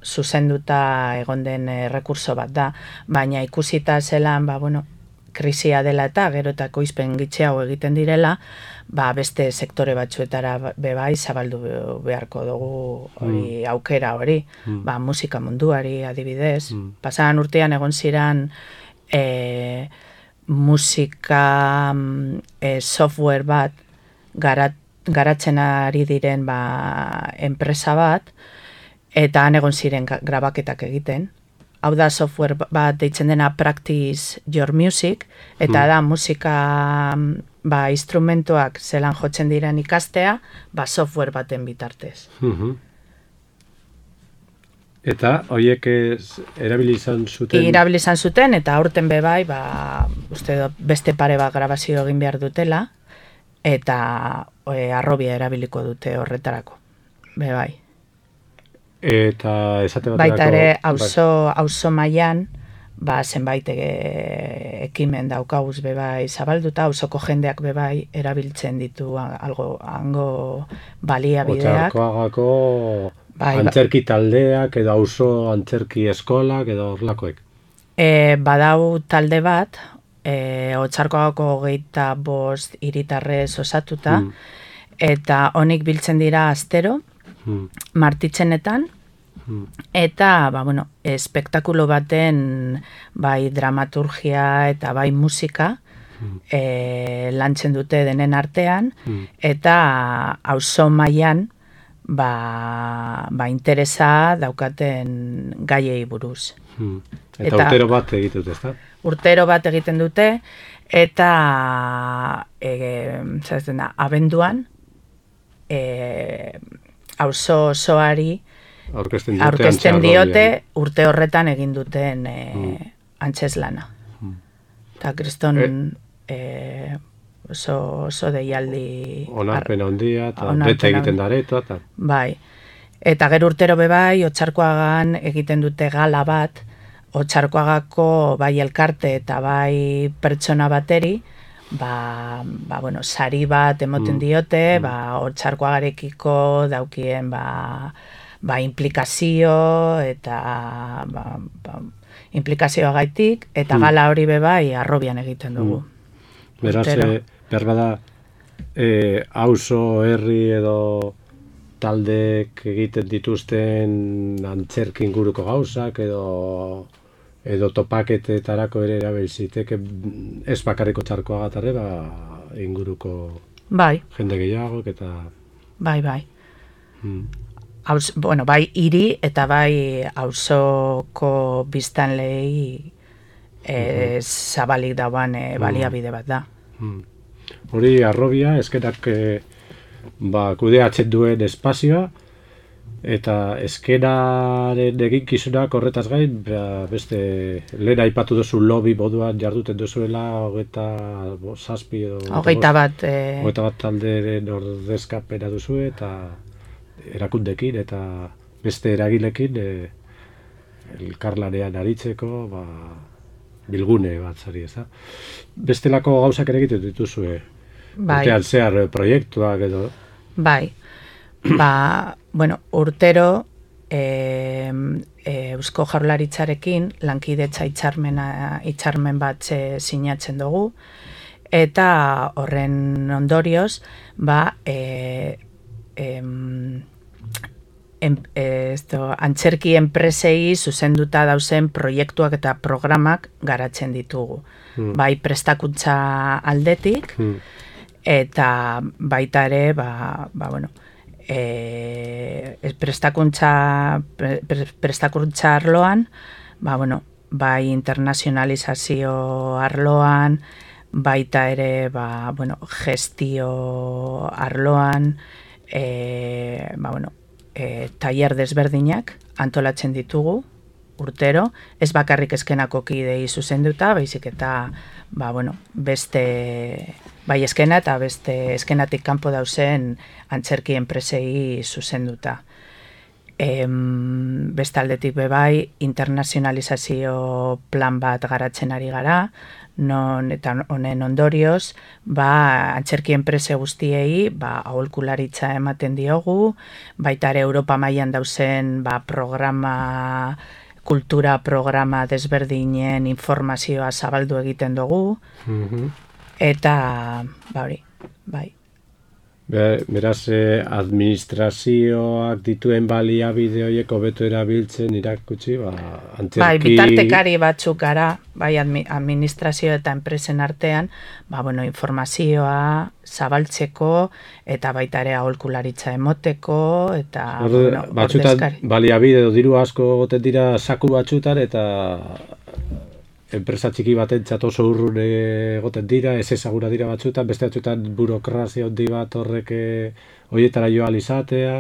zuzenduta egon den e, rekurso bat da, baina ikusita zelan, ba, bueno, krisia dela eta gero eta ekoizpen gitxeago egiten direla, ba, beste sektore batzuetara bebai zabaldu beharko dugu hori, mm. aukera hori, mm. ba, musika munduari adibidez. Mm. Pasadan urtean egon ziren E, musika e, software bat garat, garatzen ari diren ba, enpresa bat, eta han egon ziren grabaketak egiten. Hau da software bat deitzen dena Practice Your Music, eta mm. da musika ba, instrumentuak zelan jotzen diren ikastea, ba, software baten bitartez. Mm-hmm. Eta horiek erabili izan zuten? Erabili izan zuten, eta aurten bebai, ba, uste do, beste pare bat grabazio egin behar dutela, eta e, arrobia erabiliko dute horretarako, bebai. Eta esate baterako... Baita ere, auzo, auzo mailan, ba, zenbait e, ekimen daukaguz bebai zabalduta, auzoko jendeak bebai erabiltzen ditu algo, hango baliabideak. Otzarkoagako... Bai, antzerki taldeak, edo auzo antzerki eskolak, edo horlakoek? E, badau talde bat, e, Otzarkoagako hogeita bost hiritarrez osatuta, mm. eta honik biltzen dira astero, mm. martitzenetan, mm. eta, ba, bueno, espektakulo baten, bai dramaturgia eta bai musika, mm. e, lantzen dute denen artean, mm. eta auzo mailan, Ba, ba interesa daukaten gaiei buruz. Hmm. Eta, eta urtero bat egiten dute, ezta? Urtero bat egiten dute, eta e, da, abenduan e, auzo osoari aurkezten diote, aurkezten diote urte horretan egin duten e, hmm. antzeslana. Hmm. Eta kriston... E, e, oso, oso deialdi... Onarpena ondia, eta bete egiten dareto, eta... Bai, eta gero urtero bebai, Otzarkoagan egiten dute gala bat, Otzarkoagako bai elkarte eta bai pertsona bateri, ba, ba bueno, sari bat emoten mm. diote, mm. ba, Otzarkoagarekiko daukien, ba, ba, implikazio, eta, ba, ba, implikazioa gaitik, eta mm. gala hori bebai arrobian egiten dugu. Mm. Beraz, e, behar bada, e, auzo, herri edo taldeek egiten dituzten antzerki inguruko gauzak edo edo topaketetarako ere erabiltziteke ez bakarriko Otzarkoagatarre, ba, inguruko bai. Jende gehiagok eta... Bai, bai. Hmm. Aus, bueno, bai hiri eta bai auzoko biztanleei e, mm-hmm. zabalik dauan e, baliabide bat da. Hmm. Hori arrobia, eskenak e, ba, kudeatzen duen espazioa, eta eskenaren eginkizunak horretaz gain, ba, beste lehen aipatu duzu lobby moduan jarduten duzuela, hogeita zazpi edo... Hogeita bat... E... Hogeita bat talderen ordezkapena duzu, eta erakundekin, eta beste eragilekin e, elkarlanean aritzeko, ba, bilgune bat zari, ez da? Bestelako gauzak ere egiten dituzue, bai. Urtean zehar proiektuak edo... Bai, ba, bueno, urtero e, e, Eusko Jaurlaritzarekin lankidetza hitzarmena hitzarmen bat sinatzen dugu, eta horren ondorioz, ba, e, e, en, e, esto, antzerki enpresei zuzenduta dauzen proiektuak eta programak garatzen ditugu. Mm. Bai prestakuntza aldetik, mm. eta baita ere, ba, ba bueno, e, prestakuntza, pre, prestakuntza arloan, ba, bueno, bai internazionalizazio arloan, baita ere, ba, bueno, gestio arloan, e, ba, bueno, e, tailer desberdinak antolatzen ditugu urtero, ez bakarrik eskenako kidei zuzenduta, baizik eta, ba, bueno, beste, bai eskena eta beste eskenatik kanpo dauzen antzerki enpresei zuzenduta. Em, bestaldetik bebai, internazionalizazio plan bat garatzen ari gara, non eta honen ondorioz, ba, antzerki enprese guztiei, ba, aholkularitza ematen diogu, baita ere Europa mailan dauzen, ba, programa, kultura programa desberdinen informazioa zabaldu egiten dugu, mm-hmm. eta, ba, hori, bai. Beraz, eh, administrazioak dituen baliabide horiek hobeto erabiltzen irakutsi, ba, antzerki... Bai, bitartekari batzuk gara, bai, administrazio eta enpresen artean, ba, bueno, informazioa zabaltzeko, eta baita ere aholkularitza emoteko, eta... Orde, bueno, batzutan baliabide edo diru asko goten dira saku batzutan, eta... enpresa txiki batentzat oso urrun egoten dira, ez ezaguna dira batzutan, beste batzutan burokrazia handi bat horrek horietara joa alizatea,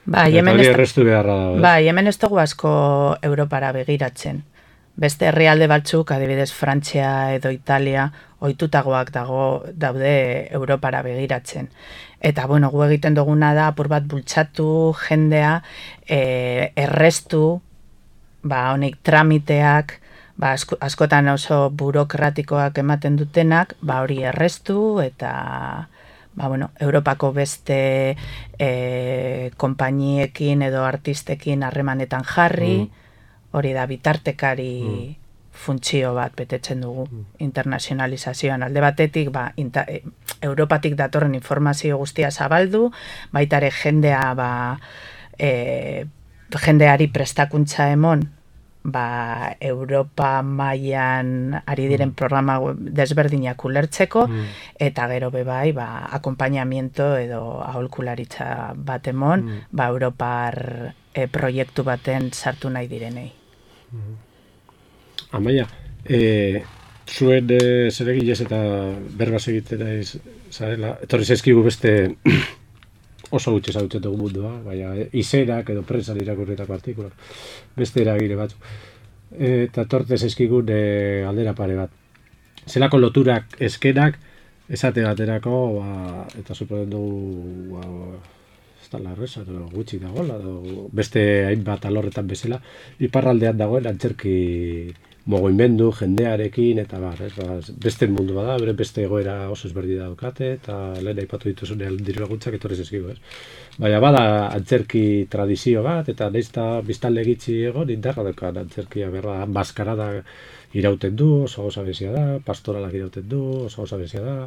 ba, eta hori errestu beharra da. Bai, hemen ez dugu asko Europara begiratzen. Beste herrialde batzuk, adibidez Frantzia edo Italia, ohitutagoak dago daude Europara begiratzen. Eta, bueno, gu egiten duguna da, apur bat bultzatu, jendea, e, errestu, ba, honik tramiteak, ba, asko, askotan oso burokratikoak ematen dutenak, ba, hori errestu eta ba, bueno, Europako beste e, konpainiekin edo artistekin harremanetan jarri, mm. hori da bitartekari mm. funtzio bat betetzen dugu mm. internazionalizazioan. Alde batetik, ba, inta, e, Europatik datorren informazio guztia zabaldu, baita ere jendea, ba, e, jendeari prestakuntza emon, ba, Europa mailan ari diren programa desberdinak ulertzeko, mm. eta gero bebai, ba, akompainamiento edo aholkularitza bat emon, mm. ba, Europar e, proiektu baten sartu nahi direnei. Mm. Amaia, e, zuen e, zeregilez eta berbaz egitera zarela, etorri zaizkigu beste oso gutxe zautzen dugu mundua, baina izerak edo prensan irakurritako artikulak, beste eragile batzu. Eta tortez eskigun e, aldera pare bat. Zelako loturak eskenak, esate baterako, ba, eta suponen dugu, ba, ez da larreza, gutxi dagoela, beste hainbat alorretan bezala, iparraldean dagoen antzerki mogoimendu, jendearekin, eta bar, ez, ba, beste mundu bada, bere beste egoera oso ezberdi daukate, eta lehen aipatu dituzunean diru laguntzak etorrez eskigu, ez. Baina bada antzerki tradizio bat, eta nahiz eta biztanle gitxi egon, indarra daukan antzerkia berra, maskarada irauten du, oso gauza bezia da, pastoralak irauten du, oso gauza bezia da.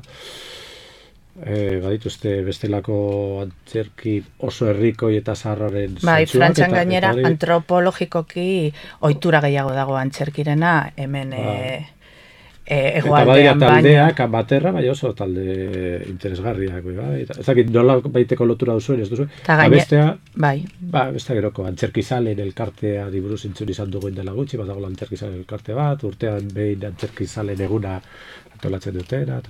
E, badituzte bestelako antzerki oso herrikoi eta zaharraren zentzuak. Bai, Frantzian gainera eta, antropologikoki ohitura gehiago dago antzerkirena, hemen ba. e, e, egoaldean baina. Eta badira taldeak, baterra, bai oso talde interesgarriak. Bai. Ez dakit nola baiteko lotura duzuen, ez duzu? Eta gaine, bestea, bai. Ba, bestea geroko, antzerkizalen elkartea diburuz intzun izan dugu indela gutxi, bat dago antzerkizalen elkarte bat, urtean behin antzerkizalen eguna antolatzen dutena.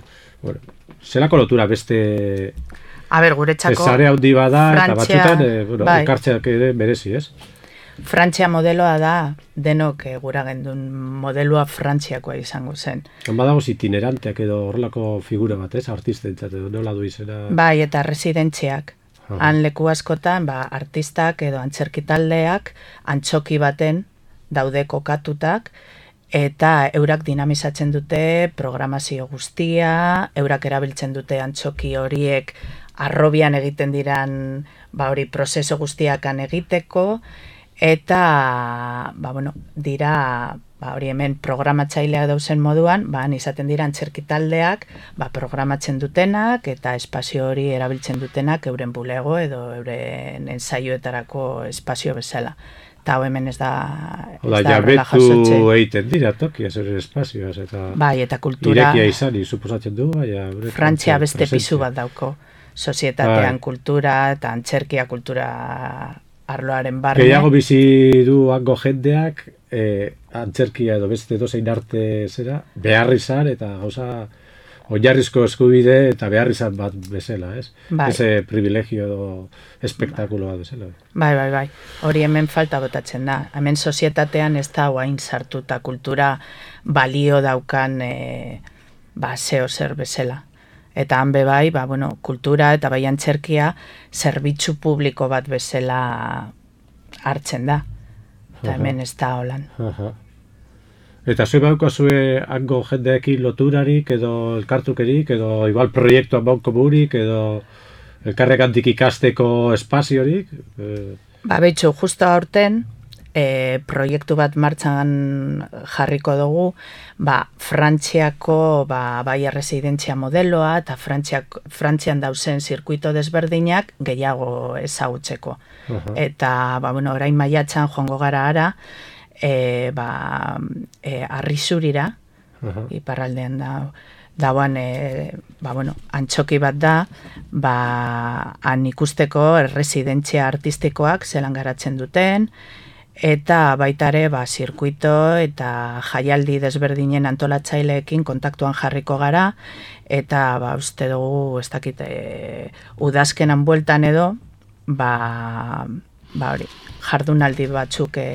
Bueno, zelako lotura beste a ber, guretzako zare handi bada Frantzia, eta batzutan e, bueno, bai. Ekartzeak ere merezi, ez? Frantzia modeloa da, denok e, gura gendun modeloa Frantziakoa izango zen. Badago itineranteak edo horrelako figura bat, ez? Artistentzat edo nola du izena. Bai, eta residentziak. Ah. Han leku askotan, ba, artistak edo antzerkitaldeak antzoki baten daude kokatutak, eta eurak dinamizatzen dute programazio guztia, eurak erabiltzen dute antzoki horiek arrobian egiten diran, ba hori prozeso guztiakan egiteko, eta ba, bueno, dira ba, hori hemen programatzaileak dauzen moduan, ba, izaten dira antzerki taldeak ba, programatzen dutenak eta espazio hori erabiltzen dutenak euren bulego edo euren ensaioetarako espazio bezala. Eta hau hemen ez da Oda, jabetu egiten dira tokia zure espazioaz, eta bai, eta kultura irekia izan, suposatzen du, baina Frantzia beste pisu bat dauko, sozietatean kultura eta antzerkia kultura arloaren barne. Gehiago bizi du hango jendeak, eh, antzerkia edo beste dozein arte zera, behar izan eta gauza oinarrizko eskubide eta behar izan bat bezala, ez? Bai. Eze privilegio edo espektakulo bat bezala. Bai, bai, bai. Hori hemen falta botatzen da. Hemen sozietatean ez da guain sartuta kultura balio daukan e, ba, zeo zer bezala. Eta han be bai, ba, bueno, kultura eta bai antzerkia zerbitzu publiko bat bezala hartzen da. Eta hemen ez da holan. Aha. Eta zue bauko zue hango jendeekin loturarik edo elkartukerik edo igual proiektuan bauko burik edo elkarregantik ikasteko espaziorik? E... Ba, behitxu, justo aurten e, proiektu bat martxan jarriko dugu, ba, Frantziako ba, bai erresidentzia modeloa eta Frantziak, Frantzian dauzen zirkuito desberdinak gehiago ezagutzeko. Uh-huh. Eta, ba, bueno, orain maiatzan joango gara ara, E, ba, e, Arrizurira, uh-huh. iparraldean da, dauan, e, ba, bueno, antxoki bat da, ba, han ikusteko erresidentzia artistikoak zelan garatzen duten, eta baita ere, ba, zirkuito eta jaialdi desberdinen antolatzaileekin kontaktuan jarriko gara, eta, ba, uste dugu, ez dakit, e, udazkenan bueltan edo, ba, ba, hori, jardunaldi batzuk e,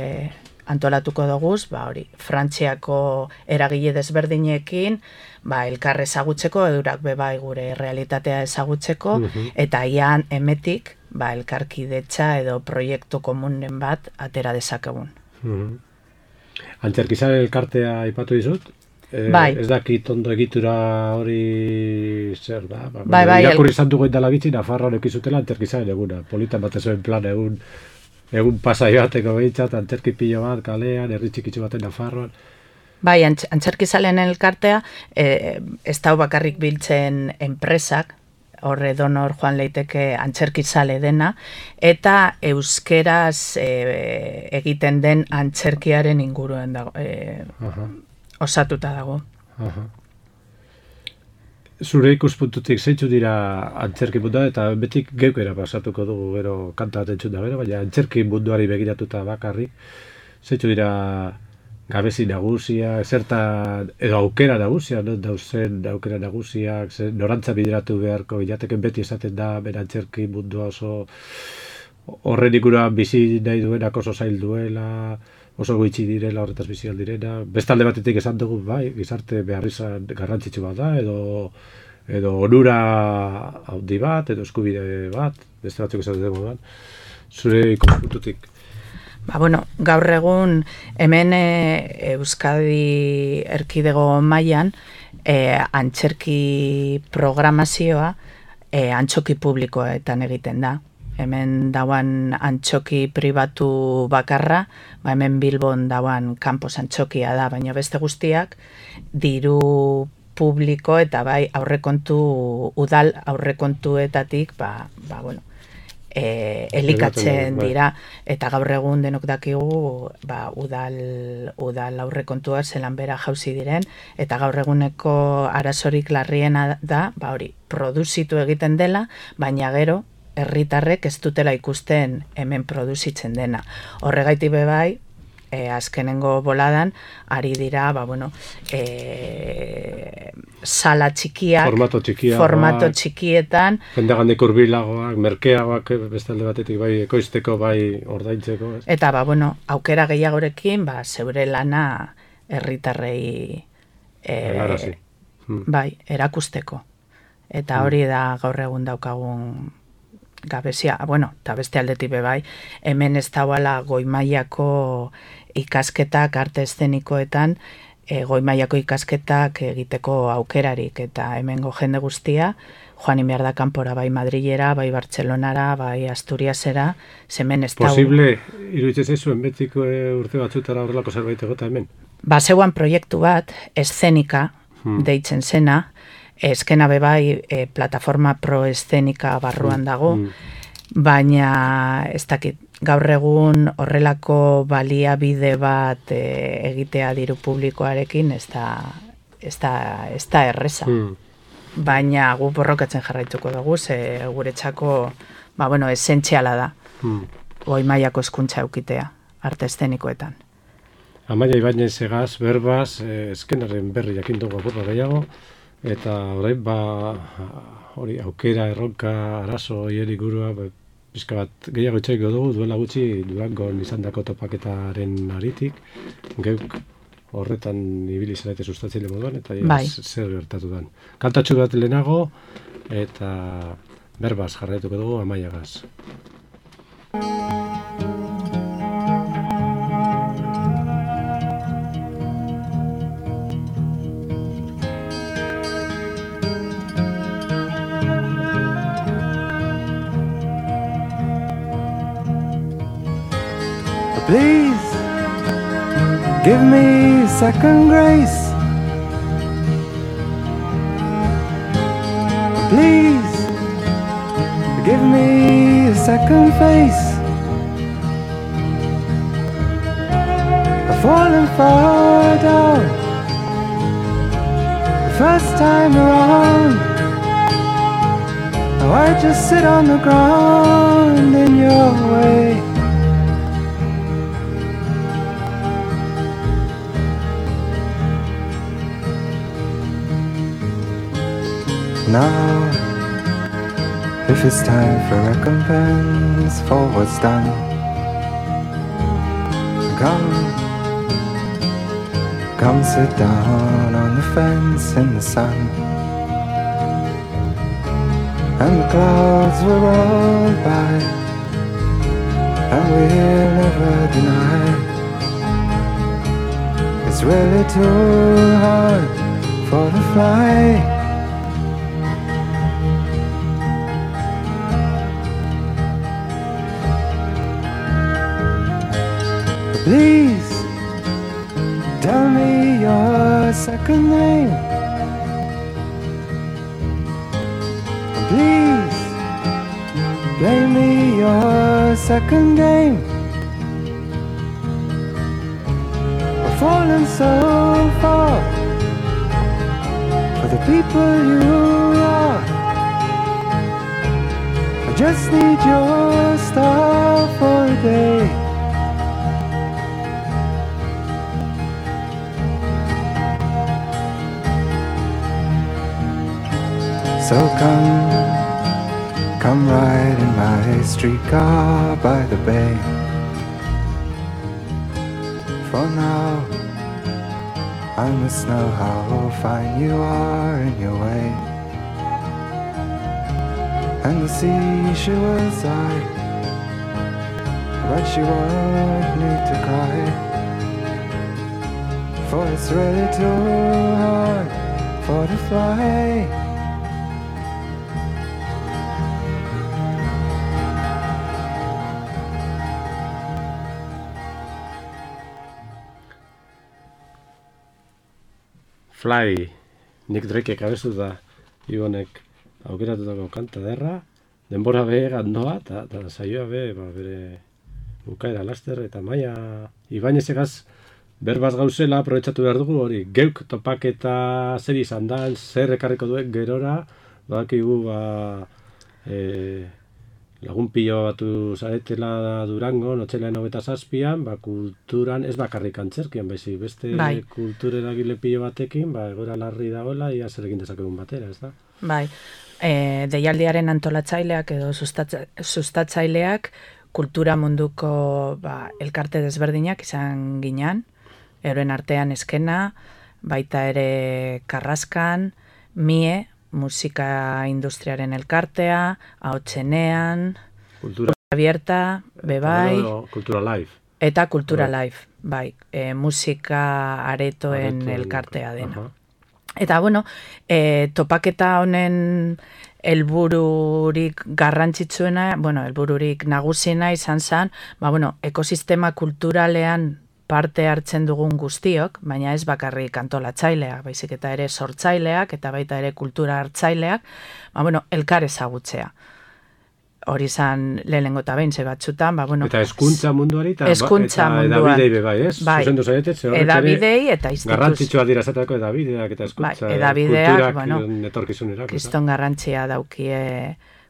antolatuko doguz, ba hori, Frantziako eragile desberdinekin, ba elkar ezagutzeko, eurak be bai gure realitatea ezagutzeko, uh-huh. eta ian emetik, ba elkarkidetza edo proiektu komunen bat atera dezakegun. Uh-huh. Antzerkizaren elkartea aipatu dizut? E, bai. Ez dakit ondo egitura hori zer da? Ba, bai, bai. Irakurri izan dugu indala bitxi, Nafarroan ekizutela antzerkizaren eguna. Politan bat ezuen plan egun egun pasai bateko behintzat, antzerki pilo bat, kalean, herri txikitzu baten Nafarroan. Bai, antz, antzerkizalen elkartea, e, ez dau bakarrik biltzen enpresak, horre donor joan leiteke antzerkizale dena, eta euskeraz e, egiten den antzerkiaren inguruen dago, e, osatuta dago. Aha. Zure ikuspuntutik zeintzu dira antzerki mundua, eta betik geukera pasatuko dugu gero kanta bat entzun da gero, baina antzerki munduari begiratuta bakarrik, zeintzu dira gabezi nagusia, zertan, edo aukera nagusia, no? Dauzen aukera nagusiak, zer, norantza bideratu beharko, bilateken beti esaten da, bera antzerki mundua oso horren ikuran bizi nahi duenak oso zail duela, oso goitzi direla, horretaz bizi aldirena. Bestalde batetik esan dugu, bai, gizarte behar izan garrantzitsu bat da, edo edo onura handi bat, edo eskubide bat, beste batzuk esan dugu bat. Zure ikuspuntutik. Ba, bueno, gaur egun hemen e, Euskadi erkidego mailan e, antzerki programazioa e, antxoki publikoetan egiten da. Hemen dauan antxoki pribatu bakarra, ba hemen Bilbon dauan kanpos antxokia da, baina beste guztiak diru publiko eta bai aurrekontu udal aurrekontuetatik ba, ba bueno, e, elikatzen dira, eta gaur egun denok dakigu ba, udal, udal aurrekontua zelan bera jauzi diren, eta gaur eguneko arazorik larriena da, ba hori, produzitu egiten dela, baina gero herritarrek ez dutela ikusten hemen produzitzen dena. Horregaitik be bai, e, azkenengo boladan, ari dira, ba, bueno, e, sala txikiak, formato, txikia, formato ba, txikietan, jendagandik urbilagoak, merkeagoak bestalde batetik bai ekoizteko, bai ordaintzeko. Ez? Eta, ba, bueno, aukera gehiagorekin, ba, zeure lana herritarrei e, hmm. bai, erakusteko. Eta hori da gaur egun daukagun gabezia, bueno, eta beste aldetik be bai, hemen ez dauala goi mailako ikasketak arte eszenikoetan e, goi mailako ikasketak egiteko aukerarik, eta hemengo jende guztia, joan behar da kanpora, bai Madrilera, bai Bartzelonara, bai Asturiasera, zemen ez da... Posible, iruditzen zaizuen betiko urte batzutara horrelako zerbait egota hemen? Ba, zeuan proiektu bat, eszenika, hmm. deitzen zena, eskena bebai e, plataforma pro-eszenika barruan dago, hmm. baina ez dakit, gaur egun horrelako baliabide bat e, egitea diru publikoarekin ez da, ez da, ez da erreza. Hmm. Baina gu borrokatzen jarraituko dugu, ze guretzako, ba, bueno, esentziala da, hmm. goi mailako hezkuntza eukitea, arte eszenikoetan. Amaia Ibañez egaz, berbaz, eh, eskenaren berri jakin dugu apurra gehiago, eta orain, ba, hori, aukera, erronka, arazo, hieri gurua, ba, pizka bat gehiago itxaiko dugu, duela gutxi Durangon izandako topaketaren aritik, geuk horretan ibili zarete sustatzaile moduan, eta bai. Zer gertatu den. Kantatxu bat lehenago, eta berbaz jarraituko dugu Amaiagaz. Please, give me second grace. Please, give me a second face. I've fallen far down the first time around. Now I just sit on the ground in your way. Now, if it's time for recompense for what's done, come, come sit down on the fence in the sun, and the clouds will roll by, and we'll never deny it's really too hard for the fly. Please, tell me your second name. Please, play me your second game. I've fallen so far for the people you are. I just need your star for a day. So come, come ride in my streetcar by the bay. For now, I must know how fine you are in your way. And the sea, she will sigh, but she won't need to cry, for it's really too hard for the fly. Fly, Nick Drakek abestu da Ibonek aukeratutako kanta derra, denbora be gandoa, eta saioa be, ba, bere bukaera laster, eta Amaia Ibañez egaz berbaz gauzela aprobetxatu behar dugu hori, geuk topaketa zer izan da, zer ekarriko duek gerora, badakigu ba, e, lagun pilo batu zaretela Durangon, otxailean hogeita zazpian, ba, kulturan, ez bakarrik antzerkian, baizik, beste bai. Kultureragile pilo batekin, ba, egoera larri dagoela, ia zer egin dezakegun batera, ez da? Bai, e, deialdiaren antolatzaileak edo sustatza, sustatzaileak kultura munduko ba, elkarte desberdinak izan ginean, euren artean eskena, baita ere Karraskan, Mie, musika industriaren elkartea, Ahotsenean, Kultura Abierta, Bebai, Kultura Live. Eta Kultura Live. bai, e, musika aretoen Aretoen, elkartea dena. aha. Eta, bueno, e, topaketa honen helbururik garrantzitsuena, bueno, helbururik nagusiena izan zen, ba, bueno, ekosistema kulturalean parte hartzen dugun guztiok, baina ez bakarrik antolatzaileak, baizik eta ere sortzaileak, eta baita ere kultura hartzaileak, ba, bueno, elkar ezagutzea. Hori izan lehenengo eta behin, ze batzutan, ba, bueno... Eta hezkuntza munduari, eta, hezkuntza eta munduan. edabidei be bai, ez? Bai, Zuzendu zaietet, ze horrek ere edabidei eta instituzio. garrantzitsua dira esateko edabideak eta hezkuntza, Bai, edabideak, kulturak bueno, etorkizunerako. kriston garrantzia daukie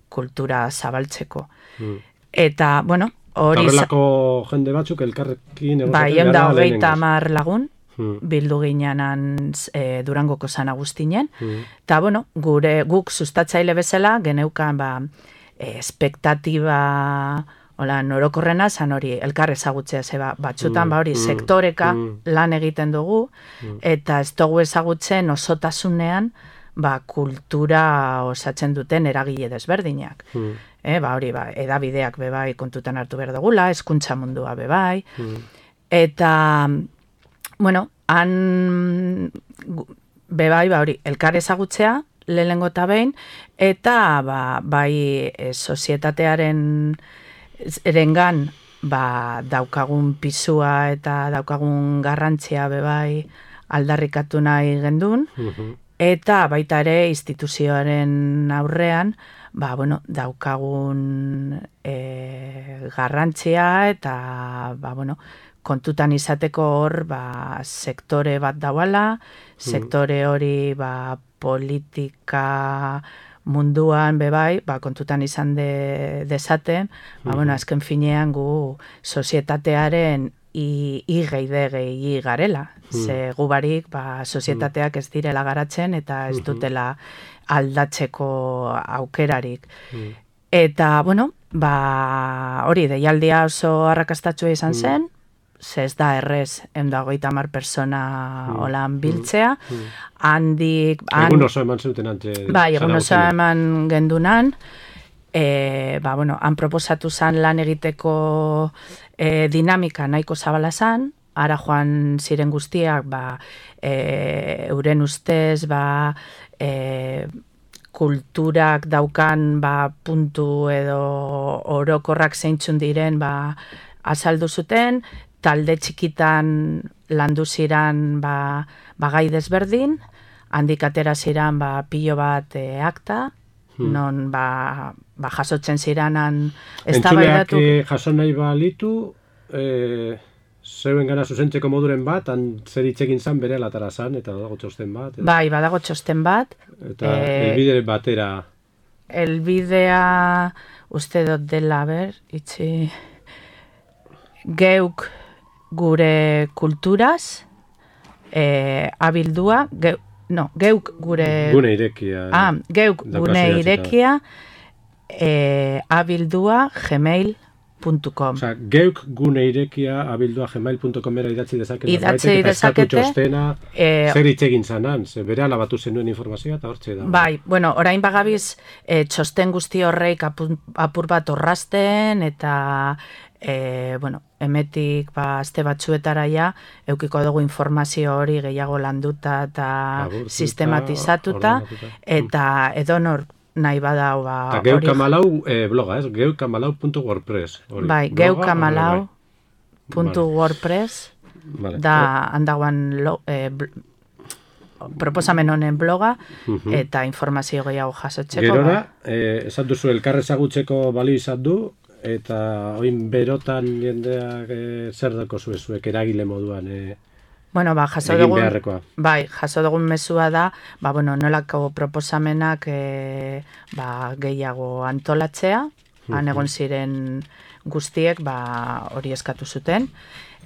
kultura zabaltzeko. Mm. Eta, bueno, hori... Horrelako jende batzuk elkarrekin Bai, egozaten eunda gara hogeita lehenengoz. hamar lagun, Mm. bildu ginenan e, Durangoko San Agustinen, Mm. eta, bueno, gure guk sustatzaile bezala, geneukan, ba, e, espektatiba... Hola, norokorrena, zan hori, elkar ezagutzea, zeba, batzutan, Mm, ba hori, mm, sektoreka mm. lan egiten dugu, Mm. eta ez dugu ezagutzen osotasunean, ba, kultura osatzen duten eragile desberdinak. Mm. E, ba, hori, ba, edabideak bebai kontutan hartu behar dugula, hezkuntza mundua bebai, Mm. eta, bueno, han, gu- bebai, ba, hori, elkar ezagutzea, lehenengo eta behin, eta, ba, bai, e, sozietatearen erengan, ba, daukagun pisua eta daukagun garrantzia bebai aldarrikatu nahi gendun, Mhm. eta baita ere instituzioaren aurrean, ba, bueno, daukagun e, garrantzia eta, ba, bueno, kontutan izateko hor, ba, sektore bat dauala, sektore hori, ba, politika munduan bebai, ba, kontutan izan de, dezaten, ba, bueno, azken finean gu sozietatearen i, i geide gehi garela. Ze gu barik, ba, sozietateak ez direla garatzen eta ez dutela aldatzeko aukerarik. Mm. Eta, bueno, ba, hori, deialdia oso arrakastatsua izan zen, ze ez da errez ehun eta hogeita hamar persona Mm. holan biltzea, handik... han- Egun oso eman zuten ante... Bai, egun oso Zaragozinen. eman gendunan, e, ba, bueno, han proposatu zan lan egiteko e, dinamika nahiko zabala zan, ara joan ziren guztiak, ba, e, euren ustez, ba, e, kulturak daukan, ba, puntu edo orokorrak zeintzun diren, ba, azaldu zuten, talde txikitan landu ziran, ba, ba gai desberdin, handik atera ziran, ba, pilo bat e, akta, non, ba, ba, jasotzen ziranan Entzuleak eztabaidatu. eh, jaso nahi balitu, eh, zeuen gana zuzentzeko moduren bat, han zer hitz egin zan bere alatara zan, eta dago txosten bat. Eta, Bai, badago txosten bat, eta eh, helbide batera... elbidea uste dut dela, ber, itxi, geuk gure kulturaz, e, abildua, ge, no, geuk gure... Gune irekia. Ah, geuk daukazu gune idatzita. irekia, e, abildua gmail puntu com. Osea, geuk gune irekia abildua gmail puntu comera idatzi dezakete. Idatzi norbaitek, eta eskatu dezakete, txostena, eh, zer hitz egin zanan, ze bere alabatu zenuen informazioa, eta hortxe da. Bai, bueno, orain bagabiz e, txosten guzti horreik apur, apur bat orrasten eta e, bueno, emetik ba, aste batzuetara ja, eukiko dugu informazio hori gehiago landuta eta Laburtuta, sistematizatuta, ordenatuta. eta edonor nahi badau ba, Eta geuk hori- amalau eh, bloga, ez? geuk amalau puntu wordpress. hori. bai, Bloga, geukamalau bai. puntu Vale. wordpress Vale. da handagoan lo, e, bl- proposamen honen bloga Mhm. eta informazio gehiago jasotzeko. Gerora, ba. eh, esan duzu elkar ezagutzeko balio izan du, eta oin berotan jendeak eh, zer dako zuezuek eragile moduan eh, Bueno, ba, jaso egin dugun, beharrekoa. bai, jaso dugun mezua da, ba, bueno, nolako proposamenak e, ba, gehiago antolatzea, han egon ziren guztiek ba, hori eskatu zuten,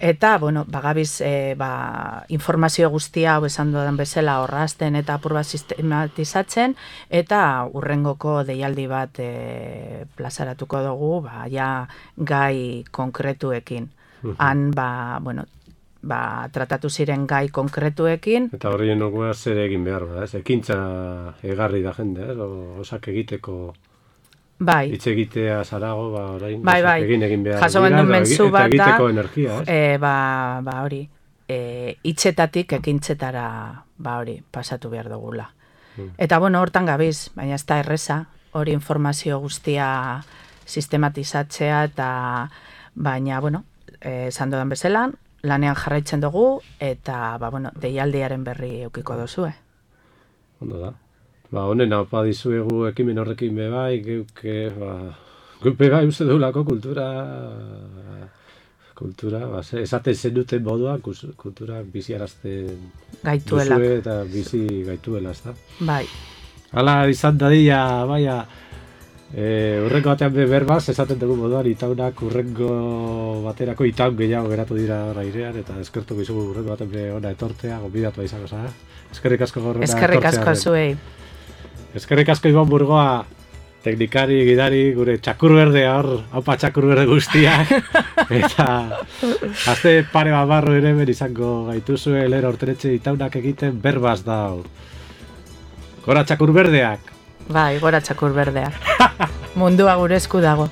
eta, bueno, bagabiz e, ba, informazio guztia hau esan dudan bezala horrazten eta apur bat sistematizatzen, eta urrengoko deialdi bat e, plazaratuko dugu, ba, ja gai konkretuekin. Han, ba, bueno, ba, tratatu ziren gai konkretuekin, Eta horrien nogua zer egin behar da, ez? Ekintza egarri da jende, ez? O, osak egiteko... Bai. Hitz egitea zarago, ba, orain, Bai, bai. egin egin behar Jaso dira, genuen eta mezu egi- bat eta da, egiteko energia, ez? e, ba, ba hori, e, hitzetatik ekintzetara ba hori, pasatu behar dugula. Mm. Eta bueno, hortan gabiz, baina ez da erreza, hori informazio guztia sistematizatzea eta baina, bueno, eh, esan dudan bezala, lanean jarraitzen dugu eta ba, bueno, deialdiaren berri eukiko duzue. Ondo da. Ba, honen haupa dizuegu ekimen horrekin be bai, geuke, ba, geupe bai uste dugulako kultura, kultura, ba, ze- esaten zenuten moduan, kus- kulturak biziarazten Gaituelak. duzue eta bizi gaituela, ez da? Bai, Hala izan dadila, baina, e, urrengo batean be berbaz, esaten dugu moduan, itaunak urrengo baterako itaun gehiago geratu dira airean, eta eskertuko izugu urrengo batean be ona etortea, gonbidatua izango zara. Eskerrik asko gorrena eskerrik asko zuei. Eskerrik asko Ibon Burgoa, teknikari, gidari, gure txakur berdea hor, haupa txakur berde guztiak. Eta azte pare bat barro ere ben izango gaituzue, lera ortenetxe itaunak egiten berbaz da hau. Gora txakur berdeak! Bai, gora txakur berdeak. Mundua gure esku dago.